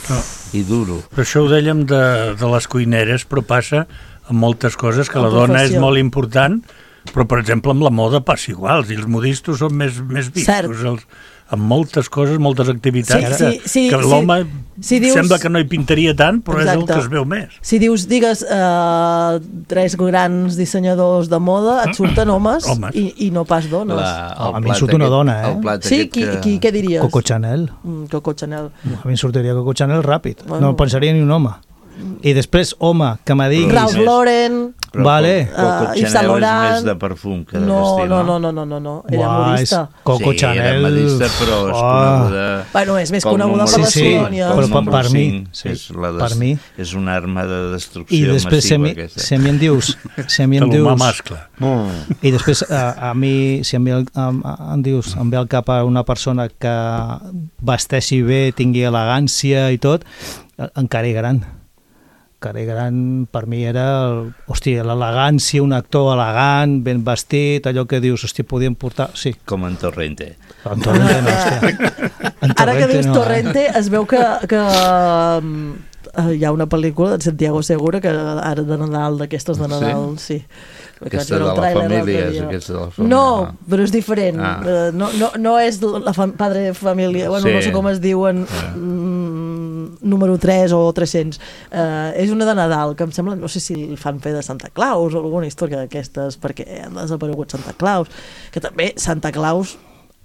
No. I duro. Però això ho dèiem de, de les cuineres, però passa amb moltes coses, que La la dona és professió. molt important, però, per exemple, amb la moda passa igual, i els modistos són més, més Cert. vistos, els, amb moltes coses, moltes activitats, Sí, que, sí, sí, que sí. l'home Si dius- sembla que no hi pintaria tant, però és el Exacte. que es veu més. Si dius, digues, eh, tres grans dissenyadors de moda, et surten homes, Homes. I, i no pas dones. La, Oh, a mi em surt una dona, eh? El plat Sí, aquest qui, que... qui, què diries? Coco Chanel. Mm, Coco Chanel. A mi em sortiria Coco Chanel ràpid. Bueno. No pensaria ni un home. I després, home, que me diguis... Ralph Lauren... Però vale. Coco Uh, Chanel és més de perfum que de no, vestir, no, no? no, no, no, no. Era Uah, modista. és Coco sí, Chanel... era modista, però és Oh. coneguda... Bueno, és més pel coneguda per número la Sí, sí, colònia. pel però per, número per mi, cinc, sí, és, la des... per mi. és una arma de I destrucció després, si a, massiva mi, aquesta. si a mi em dius... Si a mi em De l'humà dius mascle. I després, a, a mi, si a mi el, a, a, em dius, em ve al cap a una persona que vesteixi bé, tingui elegància i tot, en Cary Grant. Cary Grant per mi era, el, hòstia, l'elegància, un actor elegant, ben vestit, allò que dius, hòstia, podien portar... Sí, Com en Torrente. en Torrente no, hòstia. En Ara que dius no, Torrente, es veu que, que um, hi ha una pel·lícula de Santiago Segura que ara de Nadal, d'aquestes de Nadal, sí. sí. Aquesta de la família, és aquesta de la família. No, però és diferent. Ah. Uh, no, no, no és la fam padre família, bueno, Sí. no sé com es diuen, Ah. mm, número tres o tres-cents. Uh, és una de Nadal, que em sembla, no sé si el fan fer de Santa Claus o alguna història d'aquestes, perquè han desaparegut Santa Claus, que també Santa Claus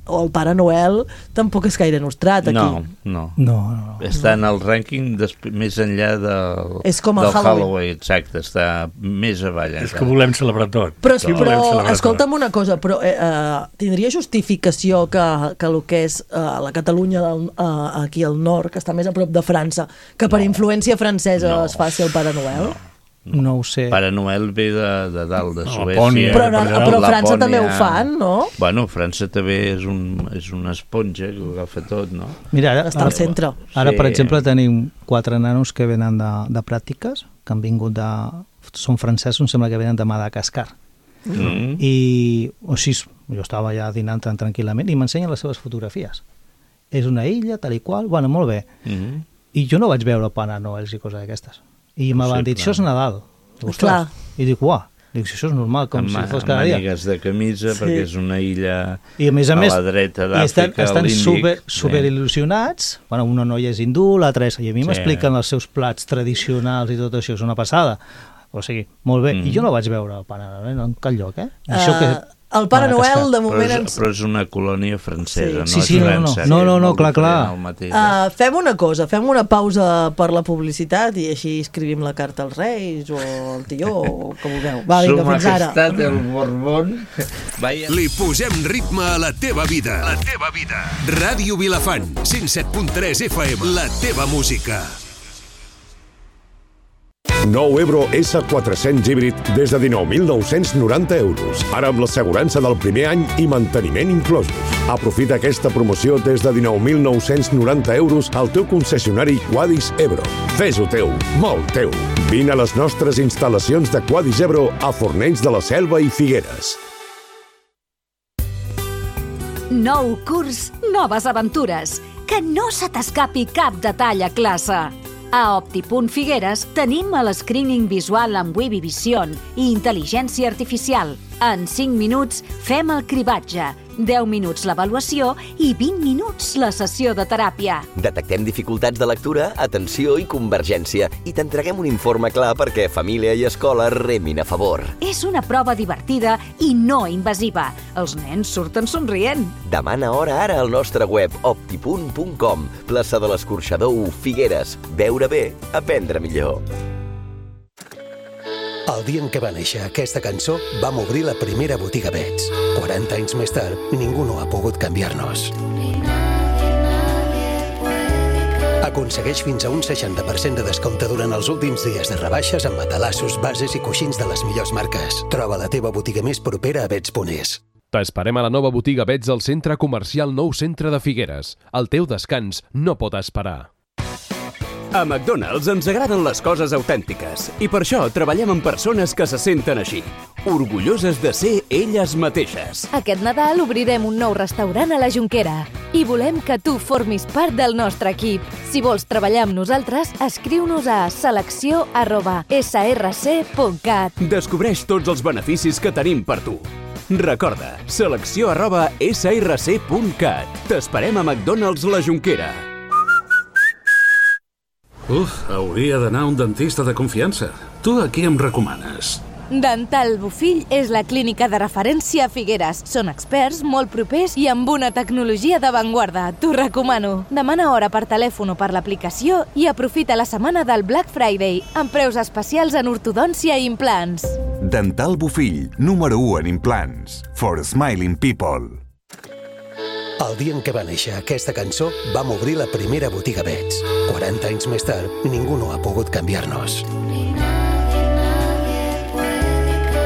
o el Pare Noel tampoc és gaire nostrat aquí. No, no. No, no. Està en el rànquing més enllà del, És com el del Halloween. Halloween, exacte, està més avall. És encara. que volem celebrar tot. Però, Sí, però volem celebrar escolta'm una cosa, però eh, eh, tindria justificació que, que el que és eh, la Catalunya del, eh, aquí al nord, que està més a prop de França, que per No. influència francesa No. es faci el Pare Noel? No. No ho sé. Pare Noel ve de, de dalt, de No, Suècia. Lapònia. Però, no, per però Lapònia. França també ho fan, no? Bueno, França també és, un, és una esponja que ho agafa tot, no? Mira, ara, Està al centre. Ara, Sí. per exemple, tenim quatre nanos que venen de, de pràctiques, que han vingut de... Són francesos, em sembla que venen de Madagascar. Mm. I, o sigui, jo estava ja dinant tan tranquil·lament i m'ensenyen les seves fotografies. És una illa, tal i qual, bueno, molt bé. Mm. I jo no vaig veure Pare Noel i coses d'aquestes. I me van dir, Possible. això és Nadal. Dic, ostres. Clar. I dic, uah, dic, si això és normal, com amb, si fos amb cada dia. mànigues de camisa, Sí. perquè és una illa I a més a, a més, la dreta i estan, d'Àfrica, a estan l'Índic. super, Sí. super il·lusionats. Bueno, una noia és hindú, l'altra és... I a mi Sí. m'expliquen els seus plats tradicionals i tot això, és una passada. O sigui, molt bé. Mm. I jo no vaig veure el Pare Noel en cap lloc, eh? I això que... Uh, el Pare Madagascar. Noel, de Però moment... és, Ens... però és una colònia francesa, Sí, no sí, és no, no, França. no, que no, és no, molt clar, diferent clar. al mateix. Uh, fem una cosa, fem una pausa per la publicitat i així escrivim la carta als Reis o al tió o que vulgueu. Va, vinga, Su fins ara. Majestat el Borbón. Vaya. Li posem ritme a la teva vida. La teva vida. Ràdio Vilafant, cent set punt tres F M. La teva música. Nou Ebro S quatre-cents híbrid des de dinou mil nou-cents noranta euros. Ara amb l'assegurança del primer any i manteniment inclosos. Aprofita aquesta promoció des de dinou mil nou-cents noranta euros al teu concessionari Quadis Ebro. Fes-ho teu, molt teu. Vine a les nostres instal·lacions de Quadis Ebro a Fornells de la Selva i Figueres. Nou curs, noves aventures. Que no se t'escapi cap detall a classe. A Optipunt Figueres tenim el screening visual amb Webby Vision i intel·ligència artificial. En cinc minuts fem el cribatge, deu minuts l'avaluació i vint minuts la sessió de teràpia. Detectem dificultats de lectura, atenció i convergència i t'entreguem un informe clar perquè família i escola remin a favor. És una prova divertida i no invasiva. Els nens surten somrient. Demana hora ara al nostre web optipunt punt com. Plaça de l'Escorxador u, Figueres. Veure bé, aprendre millor. El dia en què va néixer aquesta cançó, vam obrir la primera botiga Bets. quaranta anys més tard, ningú no ha pogut canviar-nos. Aconsegueix fins a un seixanta per cent de descompte durant els últims dies de rebaixes amb matalassos, bases i coixins de les millors marques. Troba la teva botiga més propera a bets punt es. T'esperem a la nova botiga Bets al Centre Comercial Nou Centre de Figueres. El teu descans no pot esperar. A McDonald's ens agraden les coses autèntiques i per això treballem amb persones que se senten així, orgulloses de ser elles mateixes. Aquest Nadal obrirem un nou restaurant a la Jonquera i volem que tu formis part del nostre equip. Si vols treballar amb nosaltres, escriu-nos a selecció arroba s r c punt cat. Descobreix tots els beneficis que tenim per tu. Recorda, selecció arroba s r c punt cat. T'esperem a McDonald's la Jonquera. Uf, hauria d'anar a un dentista de confiança. Tu a qui em recomanes? Dental Bofill és la clínica de referència a Figueres. Són experts, molt propers i amb una tecnologia d'avantguarda. T'ho recomano. Demana hora per telèfon o per l'aplicació i aprofita la setmana del Black Friday amb preus especials en ortodòncia i implants. Dental Bofill, número u en implants. For smiling people. El dia en què va néixer aquesta cançó, vam obrir la primera botiga Bets. quaranta anys més tard, ningú no ha pogut canviar-nos.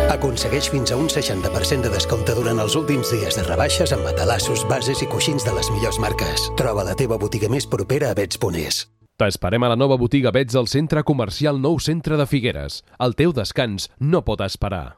Aconsegueix fins a un seixanta per cent de descompte durant els últims dies de rebaixes amb matalassos, bases i coixins de les millors marques. Troba la teva botiga més propera a bets punt es. T'esperem a la nova botiga Bets al Centre Comercial Nou Centre de Figueres. El teu descans no pot esperar.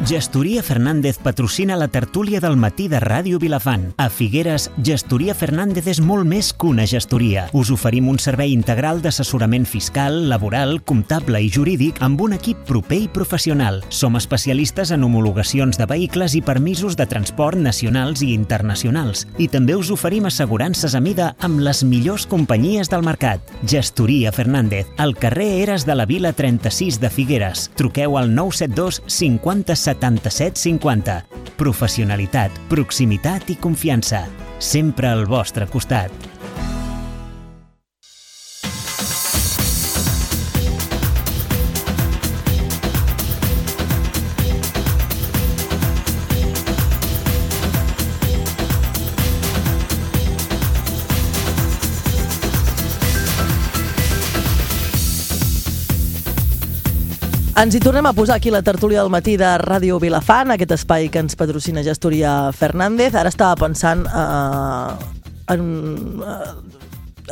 Gestoria Fernández patrocina la tertúlia del matí de Ràdio Vilafant. A Figueres, Gestoria Fernández és molt més que una gestoria. Us oferim un servei integral d'assessorament fiscal, laboral, comptable i jurídic amb un equip proper i professional. Som especialistes en homologacions de vehicles i permisos de transport nacionals i internacionals. I també us oferim assegurances a mida amb les millors companyies del mercat. Gestoria Fernández, al carrer Eres de la Vila trenta-sis de Figueres. Truqueu al nou set dos cinquanta setanta-set cinquanta. Professionalitat, proximitat i confiança. Sempre al vostre costat. Ens hi tornem a posar aquí la tertúlia del matí de Ràdio Vilafant, aquest espai que ens patrocina Gestoria Fernández. Ara estava pensant eh, en... Eh,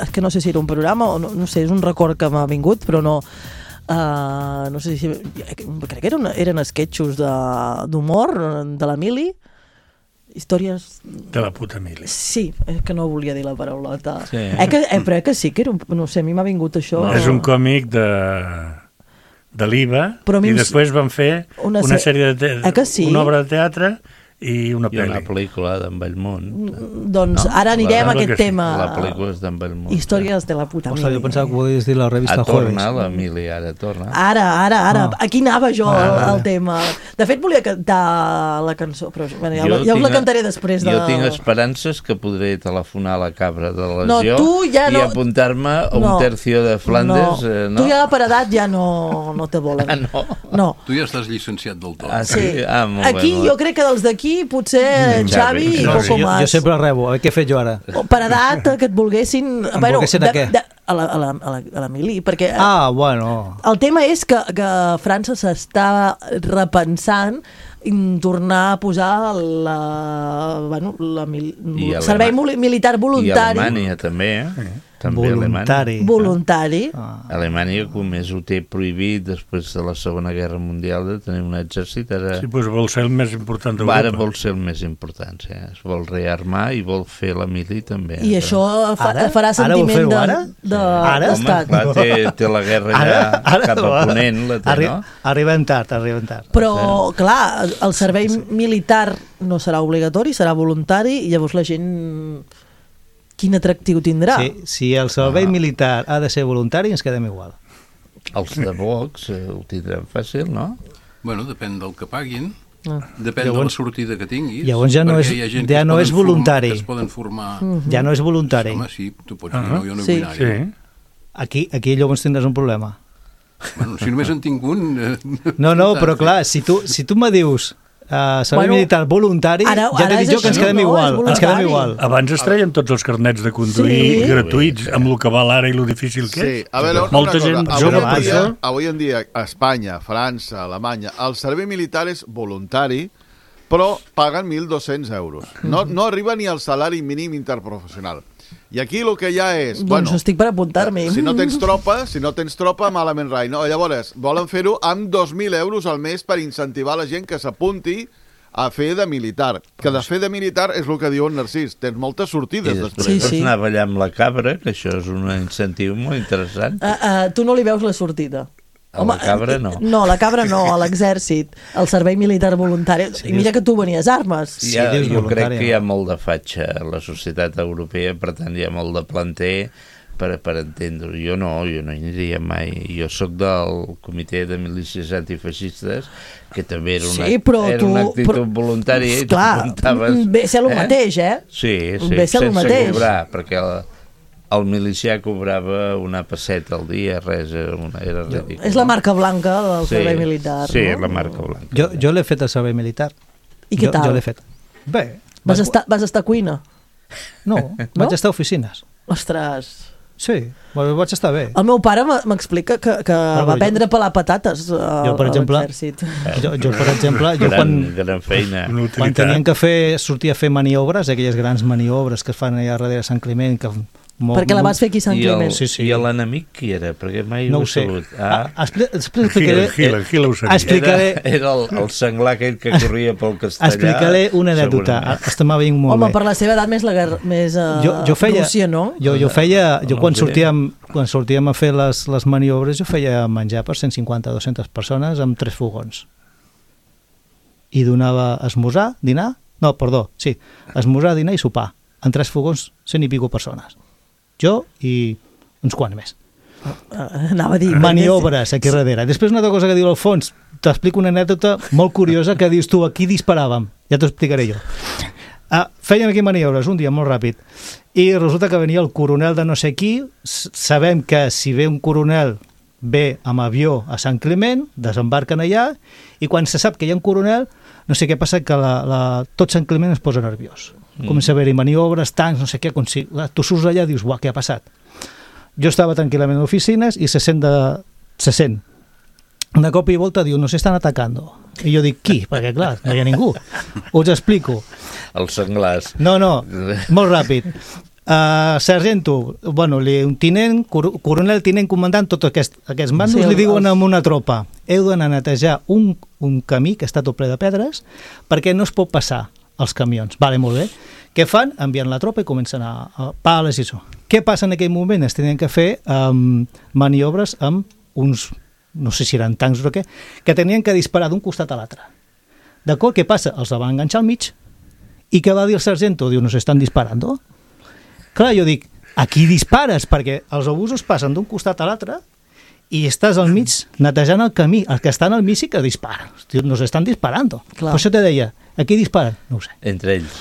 és que no sé si era un programa o no, no sé, és un record que m'ha vingut, però no... Eh, no sé si... Crec que eren, eren esquetxos d'humor de, de la Mili. Històries... De la puta Mili. Sí, és que no volia dir la paraulota. Sí. Eh, que, eh, però eh, que sí, que era un, no sé, a mi m'ha vingut això... No, és un còmic de... de l'I V A, i després van fer una, una sèrie de te... eh sí? una obra de teatre i una I pel·li. una pel·lícula d'en Bellmunt. Doncs no? Ara anirem a aquest tema. La pel·lícula és d'en Bellmunt. Històries de la puta Mili. Jo pensava que volies dir la revista Jueves. A torna, la Mili, ara torna. Ara, ara, ara. No. Aquí anava jo Ah, al, vale. al tema. De fet, volia cantar la cançó, però bueno, ja, ja us la cantaré després de... Jo tinc esperances que podré telefonar a la cabra de la No, lesió tu ja no- i apuntar-me a un No. tercio de Flandes. No. Eh, no? Tu ja per edat ja no, no te volen. Ah, no? No. Tu ja estàs llicenciat del tot. Ah, sí? Ah, molt Aquí bé, molt jo crec que dels d'aquí potser Mm, Xavi Xavi, i no, poco jo, más. jo sempre rebo, a veure què he fet jo ara. Per edat, que et volguessin... Em volguessin a què? De, a, la, a, la, a, la, a la Mili, perquè... Ah, bueno. El tema és que, que França s'està repensant en tornar a posar la, bueno, la mil, I servei Alema- mili- militar I voluntari. Alemanya també, eh? També Voluntari. Alemanya. Voluntari. Ah. Alemanya, com més ho té prohibit després de la Segona Guerra Mundial de tenir un exèrcit, ara... Sí, doncs vol ser el més important d'Europa. Ara vol ser el més important, sí. Es vol rearmar i vol fer la mili també. I això fa, Ara? farà Ara vol sentiment fer-ho de, ara? de Ara? d'estat. Home, clar, té, té la guerra Ara, ja ara, cap a Ponent, la té, Arri no? Arribem tard, arribem tard. Però, clar, el servei militar no serà obligatori, serà voluntari, i llavors la gent... Quin atractiu tindrà? Sí, si el servei Ah. militar ha de ser voluntari, ens quedem igual. Els de Vox eh, ho tindran fàcil, no? Bueno, depèn del que paguin, Ah. depèn Llavors- de la sortida que tinguis. llavors ja no perquè és- hi ha gent ja que es no poden és voluntari. Formar, que es poden formar... Mhm. Ja no és voluntari. Home, sí, tu pots Ah. dir, no, jo no Sí. vull anar-hi. Aquí, aquí llavors tindràs un problema. Bueno, si només en tinc un... Eh, No, no, però clar, si tu, si tu me dius uh, servei Bueno, militar voluntari, ara- ja ara t'he dit és jo que ens així, quedem no? igual. És Ens quedem voluntari. igual. Abans es treien tots els carnets de conduir Sí. gratuïts, amb el que val ara i lo difícil que Sí, és. a veure, una Molta cosa, gent avui jove en per dia, això... avui en dia a Espanya, França, Alemanya, el servei militar és voluntari, però paguen mil dos-cents euros. No, no arriba ni al salari mínim interprofessional. I aquí el que hi ha és... Doncs bueno, estic per apuntar-m'hi. si no tens tropa, si no tens tropa, malament rai. No? Llavors, volen fer-ho amb dos mil euros al mes per incentivar la gent que s'apunti a fer de militar. Que de fer de militar és el que diu en Narcís. Tens moltes I sortides després Sí, sí, sí. anar a ballar amb la cabra, que això és un incentiu molt interessant. Uh, uh, tu no li veus la sortida. A la cabra no. No, la cabra no, a l'exèrcit, al servei militar voluntari. I mira que tu venies armes. Hi ha, dius jo voluntari, crec que hi ha no? molt de fatxa a la societat europea, per tant hi ha molt de planter per, per entendre-ho. Jo no, jo no hi aniria mai. Jo sóc del comitè de milícies antifeixistes, que també era una, sí, però era tu, una actitud però, voluntària i clar, ve ser el eh? mateix, eh? Sí, sí, ve ser el sense mateix. cobrar, perquè el, el milicià cobrava una pesseta al dia, res, era, una, era ridícul. És la marca blanca del sí, servei militar, sí, no? la marca blanca. Jo, jo l'he fet al servei militar. I què jo, tal? Jo l'he fet. Bé. Vas, estar, vas estar a cuina? No, no, vaig estar a oficines. Ostres... Sí, vaig estar bé. El meu pare m'explica que, que ah, va aprendre a pelar patates a, jo, per exemple, a l'exèrcit. Jo, jo, per exemple, jo gran, quan, gran feina. Quan tenien que fer, sortir a fer maniobres, aquelles grans maniobres que es fan allà darrere Sant Climent, que molt, perquè la vas fer aquí a Sant Climent. Sí, sí. I l'enemic qui era? Perquè mai no ho he sabut. Ah. Ah, explicaré, Gila, Gila ho sabia. Explicaré, era era el, el senglar aquell que corria pel castellà. Explicaré una anècdota. Estem veient molt Home, bé. per la seva edat més, la guerra, més uh, jo, jo feia, Rússia, no? Jo, jo feia, jo quan sortíem, quan sortíem a fer les, les maniobres, jo feia menjar per cent cinquanta a dues-centes persones amb tres fogons. I donava esmorzar, dinar, no, perdó, sí, esmorzar, dinar i sopar, en tres fogons, cent i pico persones. Jo i uns quants més. Anava a dir... Maniobres aquí darrere. Després una altra cosa que diu Alfons, t'explico una anècdota molt curiosa que dius tu, aquí disparàvem, ja t'ho explicaré jo. Ah, fèiem aquí maniobres un dia molt ràpid i resulta que venia el coronel de no sé qui. Sabem que si ve un coronel ve amb avió a Sant Climent, desembarquen allà i quan se sap que hi ha un coronel, no sé què passa, que la, la, tot Sant Climent es posa nerviós. Mm. Comença a haver-hi maniobres, tancs, no sé què, si, tu surts allà i dius, uah, què ha passat? Jo estava tranquil·lament a oficines i se sent, de, se sent. De cop i volta diu, nos estan atacando. I jo dic, qui? Perquè clar, no hi ha ningú. Us explico. Els senglars. No, no, molt ràpid. Uh, sargento, bueno, li, un tinent, coronel, tinent, comandant, tots aquests, aquests mandos sí, li diuen els... amb una tropa, heu d'anar a netejar un, un camí que està tot ple de pedres perquè no es pot passar els camions. Vale, molt bé. Què fan? Envien la tropa i comencen a, a pales i això. Què passa en aquell moment? Es tenien que fer um, maniobres amb uns, no sé si eren tancs o què, que tenien que disparar d'un costat a l'altre. D'acord? Què passa? Els van enganxar al mig. I què va dir el sargento? Diu, nos estan disparando. Clar, jo dic, aquí dispares, perquè els obusos passen d'un costat a l'altre i estàs al mig netejant el camí. Els que estan al mig sí que disparen. Nos estan disparando. Clar. Per això te deia, aquí disparen? No ho sé. Entre ells.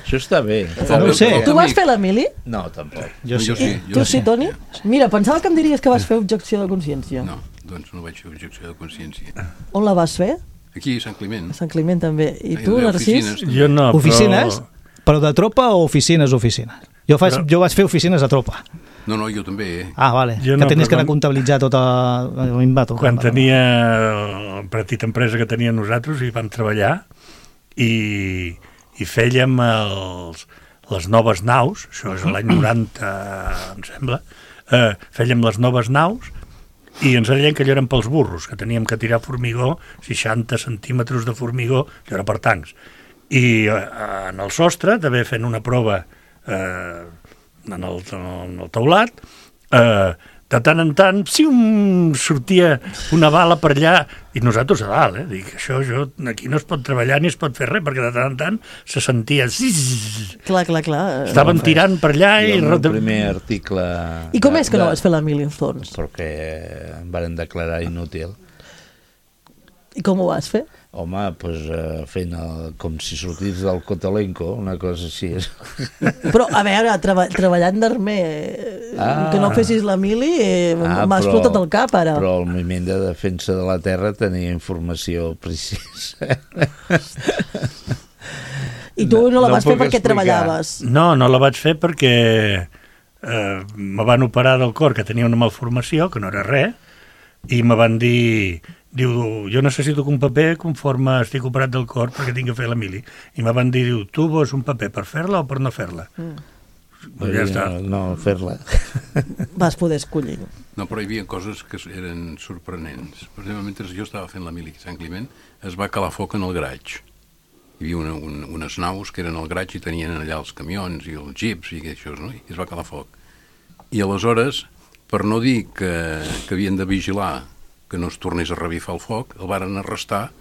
Això està bé. No ho sé. Tu vas fer la mili? No, tampoc. Jo sí. sí. Tu sí, Toni? Mira, pensava que em diries que vas fer objecció de consciència. No, doncs no vaig fer objecció de consciència. On la vas fer? Aquí, a Sant Climent. A Sant Climent també. I tu, Narcís? Jo no, però... Oficines? Però de tropa o oficines, oficines? Jo, faig, però... jo vaig fer oficines a tropa. No, no, jo també. Eh? Ah, vale. Jo que no, tenies que anar a comptabilitzar tota... L'imbato, quan tenia la petita empresa que tenia nosaltres i vam treballar i, i fèiem els, les noves naus, això és l'any noranta, em sembla, eh, fèiem les noves naus i ens deien que allò eren pels burros, que teníem que tirar formigó, seixanta centímetres de formigó, allò era per tancs. I eh, en el sostre, també fent una prova eh, en, el, en el teulat, eh, de tant en tant, si un sortia una bala per allà, i nosaltres a dalt, eh? Dic, això, jo, aquí no es pot treballar ni es pot fer res, perquè de tant en tant se sentia... Clar, clar, clar. Estaven tirant per allà i... I el primer article... I com de, és que no vas fer la mili, Alfons? Perquè em van declarar inútil. I com ho vas fer? Home, doncs uh, fent el, com si sortís del Cotelenco, una cosa així. Però, a veure, treba, treballant d'armer, ah, que no fessis la mili, eh, ah, m'ha explotat el cap, ara. Però el moviment de defensa de la terra tenia informació precisa. I tu no, no la vas no fer perquè explicar. Treballaves? No, no la vaig fer perquè eh, me van operar del cor, que tenia una malformació, que no era res, i me van dir... Diu, jo necessito un paper conforme estic operat del cor perquè tinc que fer la mili. I me van dir, diu, tu vols un paper per fer-la o per no fer-la? Mm. Pues ja està. No, no fer-la. Vas poder escollir. No, però hi havia coses que eren sorprenents. Per exemple, mentre jo estava fent la mili a Sant Climent, es va calar foc en el garatge. Hi havia una, un, unes naus que eren al garatge i tenien allà els camions i els jeeps i això, no? I es va calar foc. I aleshores, per no dir que, que havien de vigilar que no es tornés a revifar el foc, el varen arrestar,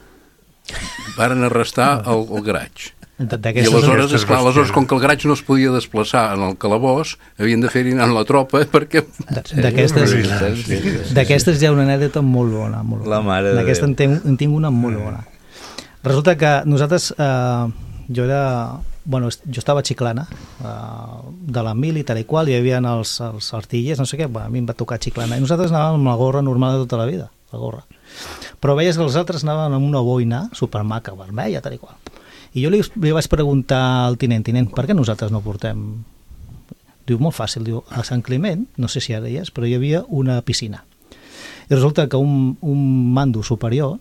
varen arrestar el, el garatge. I aleshores, esclar, aleshores, com que el graig no es podia desplaçar en el calabós, havien de fer-hi anar la tropa perquè... D'aquestes hi ha una anècdota molt bona. Molt bona. La mare de D'aquesta en, ten, en tinc una molt bona. Resulta que nosaltres, eh, jo era... Bueno, jo estava a Chiclana, eh, de la mili, tal i qual, hi havia els, els artillers, no sé què, bueno, a mi em va tocar Chiclana, i nosaltres anàvem amb la gorra normal de tota la vida, la gorra. Però veies que els altres anaven amb una boina supermaca, vermella, tal i qual. I jo li, li vaig preguntar al tinent, tinent, per què nosaltres no portem... Diu, molt fàcil, diu, a Sant Climent, no sé si ara hi és, però hi havia una piscina. I resulta que un, un mando superior,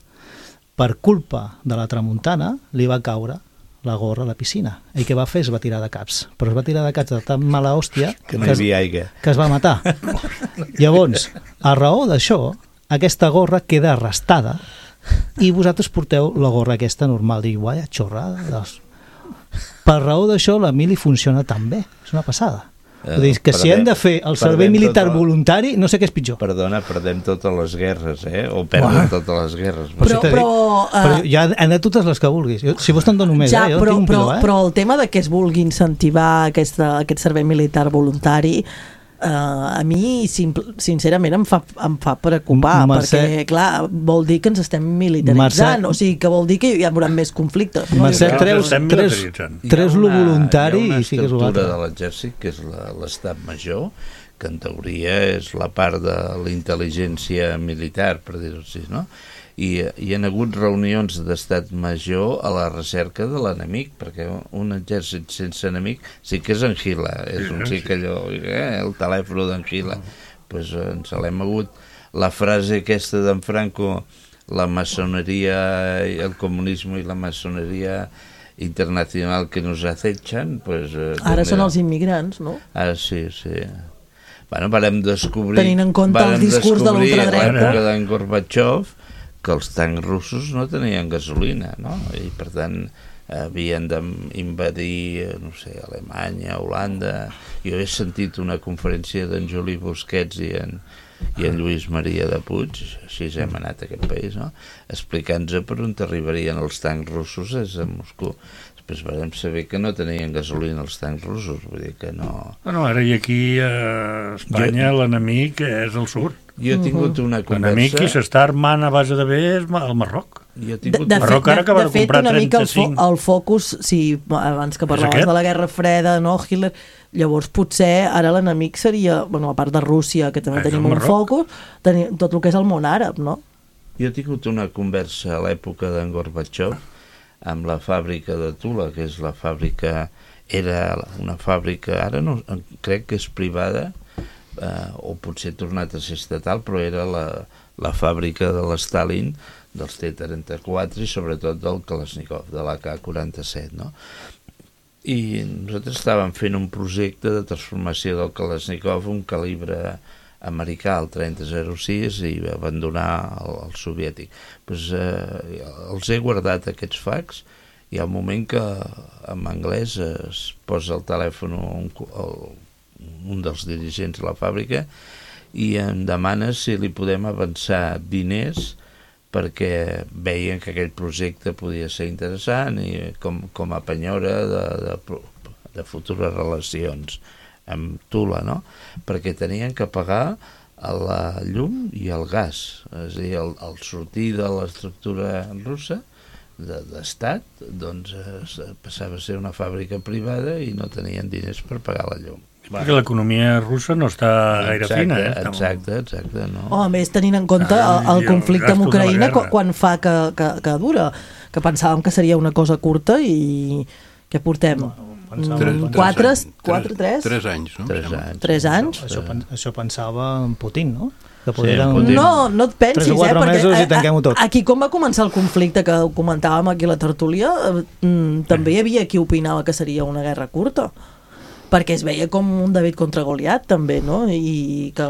per culpa de la tramuntana, li va caure la gorra a la piscina. I què va fer? Es va tirar de caps. Però es va tirar de caps de tan mala hòstia que, no hi havia aigua. Que es va matar. Llavors, a raó d'això, aquesta gorra queda arrestada i vosaltres porteu la gorra aquesta normal. Diu, guai, xorrada. Doncs. Per raó d'això, la mili funciona tan bé. És una passada. Eh, Vull dir que perdem, si hem de fer el servei militar tota... voluntari, no sé què és pitjor. Perdona, perdem totes les guerres, eh? O perden Uah. totes les guerres. Però, però, uh... però ja han de totes les que vulguis. Jo, si vos te'n dono més, ja, eh? Jo però, tinc un però, piló, eh? però el tema de que es vulgui incentivar aquesta, aquest servei militar voluntari... Uh, a mi, sincerament, em fa, em fa preocupar, Mercè... perquè, clar, vol dir que ens estem militaritzant, Mercè... o sigui, que vol dir que hi haurà més conflictes. No? Mercè, treus, treus, treus lo voluntari i figues ho altre. Hi ha una estructura de l'exèrcit, que és l'estat major, que en teoria és la part de la intel·ligència militar, per dir-ho així, no? I hi ha hagut reunions d'estat major a la recerca de l'enemic, perquè un exèrcit sense enemic sí que és Anguila, és un sí que allò, eh, el telèfon d'Anguila, pues ens l'hem hagut. La frase aquesta d'en Franco, la maçoneria, el comunisme i la maçoneria internacional que nos acechan, pues... Eh, Ara són els immigrants, no? Ah, sí, sí. Bueno, varem descobrir... Tenint en compte el discurs de l'ultradreta. A l'època d'en Gorbachev, que els tancs russos no tenien gasolina, no? I per tant havien d'invadir, no sé, Alemanya, Holanda. Jo he sentit una conferència d'en Juli Busquets i en, i en Lluís Maria de Puig, així hem anat a aquest país, no? Explicant-nos per on arribarien els tancs russos és a Moscou. Després vam saber que no tenien gasolina els tancs russos, vull dir que no... Bueno, ara i aquí a Espanya jo... l'enemic és el sud. Jo he tingut una conversa... L'enemic qui s'està armant a base de bé és el Marroc. Jo he tingut... De, de Marroc ara acaba de, de fet, comprar una mica el, fo trenta-cinc. el focus, si abans que parlaves de la Guerra Freda, no, Hitler, llavors potser ara l'enemic seria, bueno, a part de Rússia, que també és tenim un focus, tenim tot el que és el món àrab, no? Jo he tingut una conversa a l'època d'en Gorbachev amb la fàbrica de Tula, que és la fàbrica, era una fàbrica, ara no, crec que és privada, eh, o potser ha tornat a ser estatal, però era la, la fàbrica de l'Stalin, dels T trenta-quatre i sobretot del Kalashnikov, de l'A K quaranta-set, no? I nosaltres estàvem fent un projecte de transformació del Kalashnikov, un calibre americà, el trenta zero sis, i abandonar el, el soviètic. Pues, eh, els he guardat aquests fax, i al moment que en anglès es posa el telèfon un, el, un dels dirigents de la fàbrica i em demana si li podem avançar diners perquè veien que aquell projecte podia ser interessant i com, com a penyora de, de, de futures relacions amb Tula, no? Perquè tenien que pagar la llum i el gas, és a dir, el, el sortir de l'estructura russa d'estat, doncs eh, passava a ser una fàbrica privada i no tenien diners per pagar la llum. Perquè l'economia russa no està gaire exacte, fina, eh? Exacte, exacte, no. Oh, a més, tenint en compte ah, el, el conflicte amb Ucraïna quan fa que, que, que dura, que pensàvem que seria una cosa curta i què portem? No, quatre, quatre, tres? Tres anys, no? Tres anys. Tres anys? Això, això pensava en Putin, no? Que sí, Putin. No, no et pensis, tres o quatre eh? mesos Perquè i tanquem-ho tot. Aquí, com va començar el conflicte que ho comentàvem aquí a la tertúlia, eh, també hi havia qui opinava que seria una guerra curta. Perquè es veia com un David contra Goliat, també, no? I que,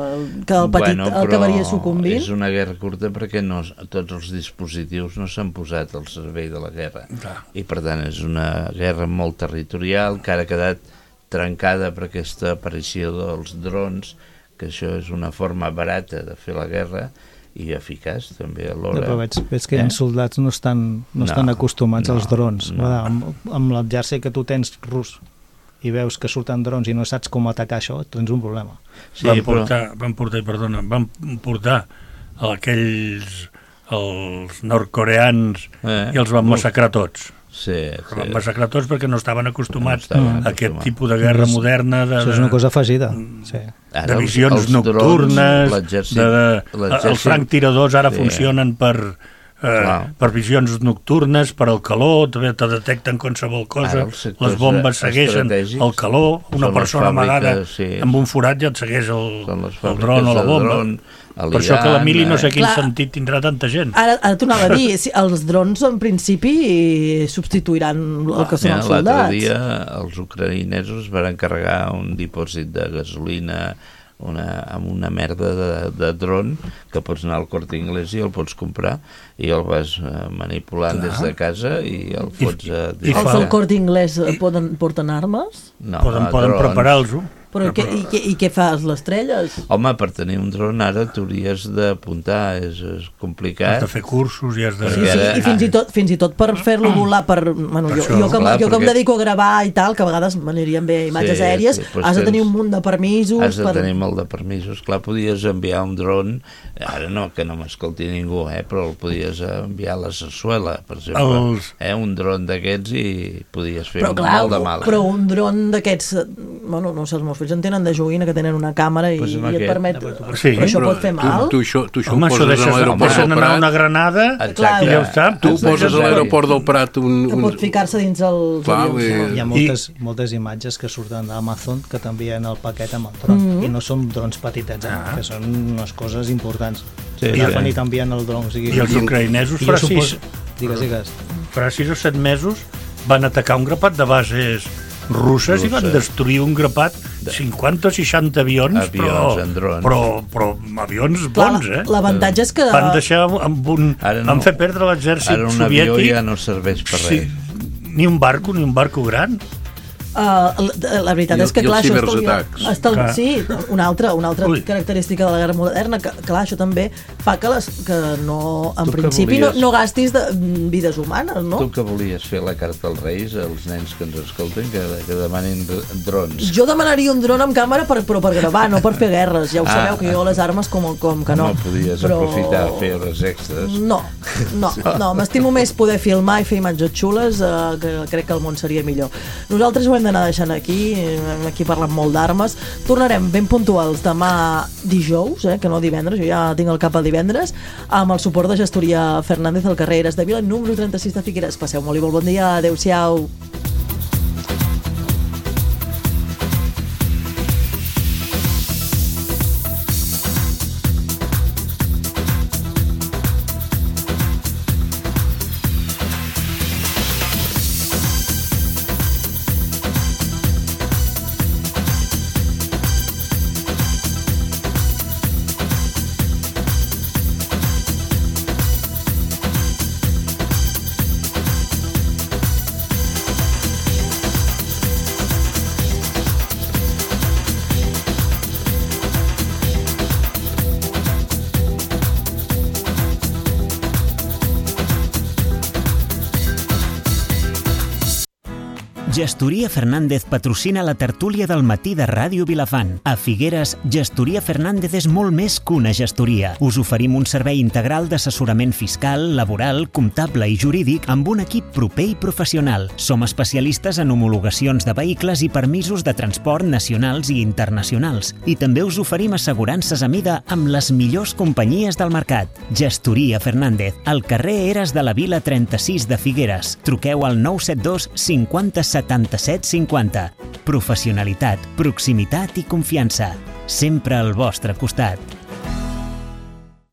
que el petit bueno, el acabaria sucumbint. És una guerra curta perquè no, tots els dispositius no s'han posat al servei de la guerra. Clar. I, per tant, és una guerra molt territorial, que ara ha quedat trencada per aquesta aparició dels drons, que això és una forma barata de fer la guerra, i eficaç també Ja, alhora. però veig, veig que hi ha soldats no estan, no estan No, acostumats no, als drons. no. Amb, amb l'exèrcit que tu tens rus i veus que surten drons i no saps com atacar això, tens un problema. Sí, van portar, però... van portar, perdona, van portar aquells els nord-coreans eh, i els van massacrar tots. Sí, els sí. van massacrar tots perquè no estaven acostumats no estaven a aquest acostumats. tipus de guerra moderna. De, Això és una cosa afegida. Sí. Ara de visions els, els nocturnes, drons, de, de, els franctiradors ara sí. funcionen per, eh, per visions nocturnes, per al calor, també te detecten qualsevol cosa, les bombes segueixen el calor, una persona amagada sí. amb un forat ja et segueix el, el dron o la bomba. Dron, per això que la mili no sé quin Clar. sentit tindrà tanta gent. Ara, ara t'ho anava a dir, si els drons en principi substituiran el que són ja, els soldats. L'altre dia els ucraïnesos van encarregar un dipòsit de gasolina una, amb una merda de, de dron que pots anar al Corte Inglés i el pots comprar i el vas manipulant Clar. des de casa i el fots a... I, i els del Corte Inglés poden, porten armes? No, poden poden preparar-los-ho. Però què, i, què, i què fas, les estrelles? Home, per tenir un dron ara t'hauries d'apuntar, és, és complicat. Has de fer cursos i has de... Sí, sí, i fins i tot, fins i tot per fer-lo volar, per, bueno, per jo, això, jo, que, clar, jo que em dedico a gravar i tal, que a vegades m'anirien bé imatges sí, aèries, sí, has de tenir un munt de permisos... Has de per... tenir molt de permisos. Clar, podies enviar un dron, ara no, que no m'escolti ningú, eh, però el podies enviar a la Sarsuela, per exemple. Els... Eh, un dron d'aquests i podies fer però, clar, molt de mal. Però un dron d'aquests, bueno, no sé, els meus fills en tenen de joguina que tenen una càmera i, pues i et permet... Sí, però això pot fer mal? Tu, tu això, tu això Home, ho poses a l'aeroport del Prat... una granada Exacte. i ja ho sap. Tu ho poses a l'aeroport del Prat... Un, un... Que pot ficar-se dins els Clar, avions. I... Hi ha moltes, I... moltes imatges que surten d'Amazon que t'envien el paquet amb el dron. Mm -hmm. I no són drons petitets, eh? ah. que són unes coses importants. Sí, I, sí. i t'envien el dron. O sigui, I els ucraïnesos farà sis... Digues, digues. Farà sis o set mesos van atacar un grapat de bases russes i van destruir un grapat de cinquanta o seixanta avions, avions però, però, però avions bons, eh? L'avantatge és que... Van deixar amb un... No, van fer perdre l'exèrcit soviètic. Ara un avió ja no serveix per res. Sí, ni un barco, ni un barco gran. Uh, la, la veritat I, és que, clar, això estalvia... Estal... Sí, una altra, una altra característica de la guerra moderna, que, clar, això també fa que, les, que no, en tu principi volies... no, no gastis de vides humanes, no? Tu que volies fer la carta als Reis, als nens que ens escolten, que, que demanin drons. Jo demanaria un dron amb càmera, per, però per gravar, no per fer guerres. Ja ho ah, sabeu, que jo les armes com, com que no. No podies però... aprofitar a fer hores extres. No, no, no. M'estimo més poder filmar i fer imatges xules, eh, que crec que el món seria millor. Nosaltres ho hem d'anar deixant aquí, aquí parlant molt d'armes. Tornarem ben puntuals demà dijous, eh, que no divendres, jo ja tinc el cap al divendres, amb el suport de Gestoria Fernández al carrer Eres de Vila, número trenta-sis de Figueres. Passeu molt i molt bon dia, adeu-siau. Gestoria Fernández patrocina la tertúlia del matí de Ràdio Vilafant. A Figueres, Gestoria Fernández és molt més que una gestoria. Us oferim un servei integral d'assessorament fiscal, laboral, comptable i jurídic amb un equip proper i professional. Som especialistes en homologacions de vehicles i permisos de transport nacionals i internacionals. I també us oferim assegurances a mida amb les millors companyies del mercat. Gestoria Fernández, al carrer Eres de la Vila trenta-sis de Figueres. Truqueu al nou set dos cinquanta setanta-set cinquanta. Professionalitat, proximitat i confiança. Sempre al vostre costat.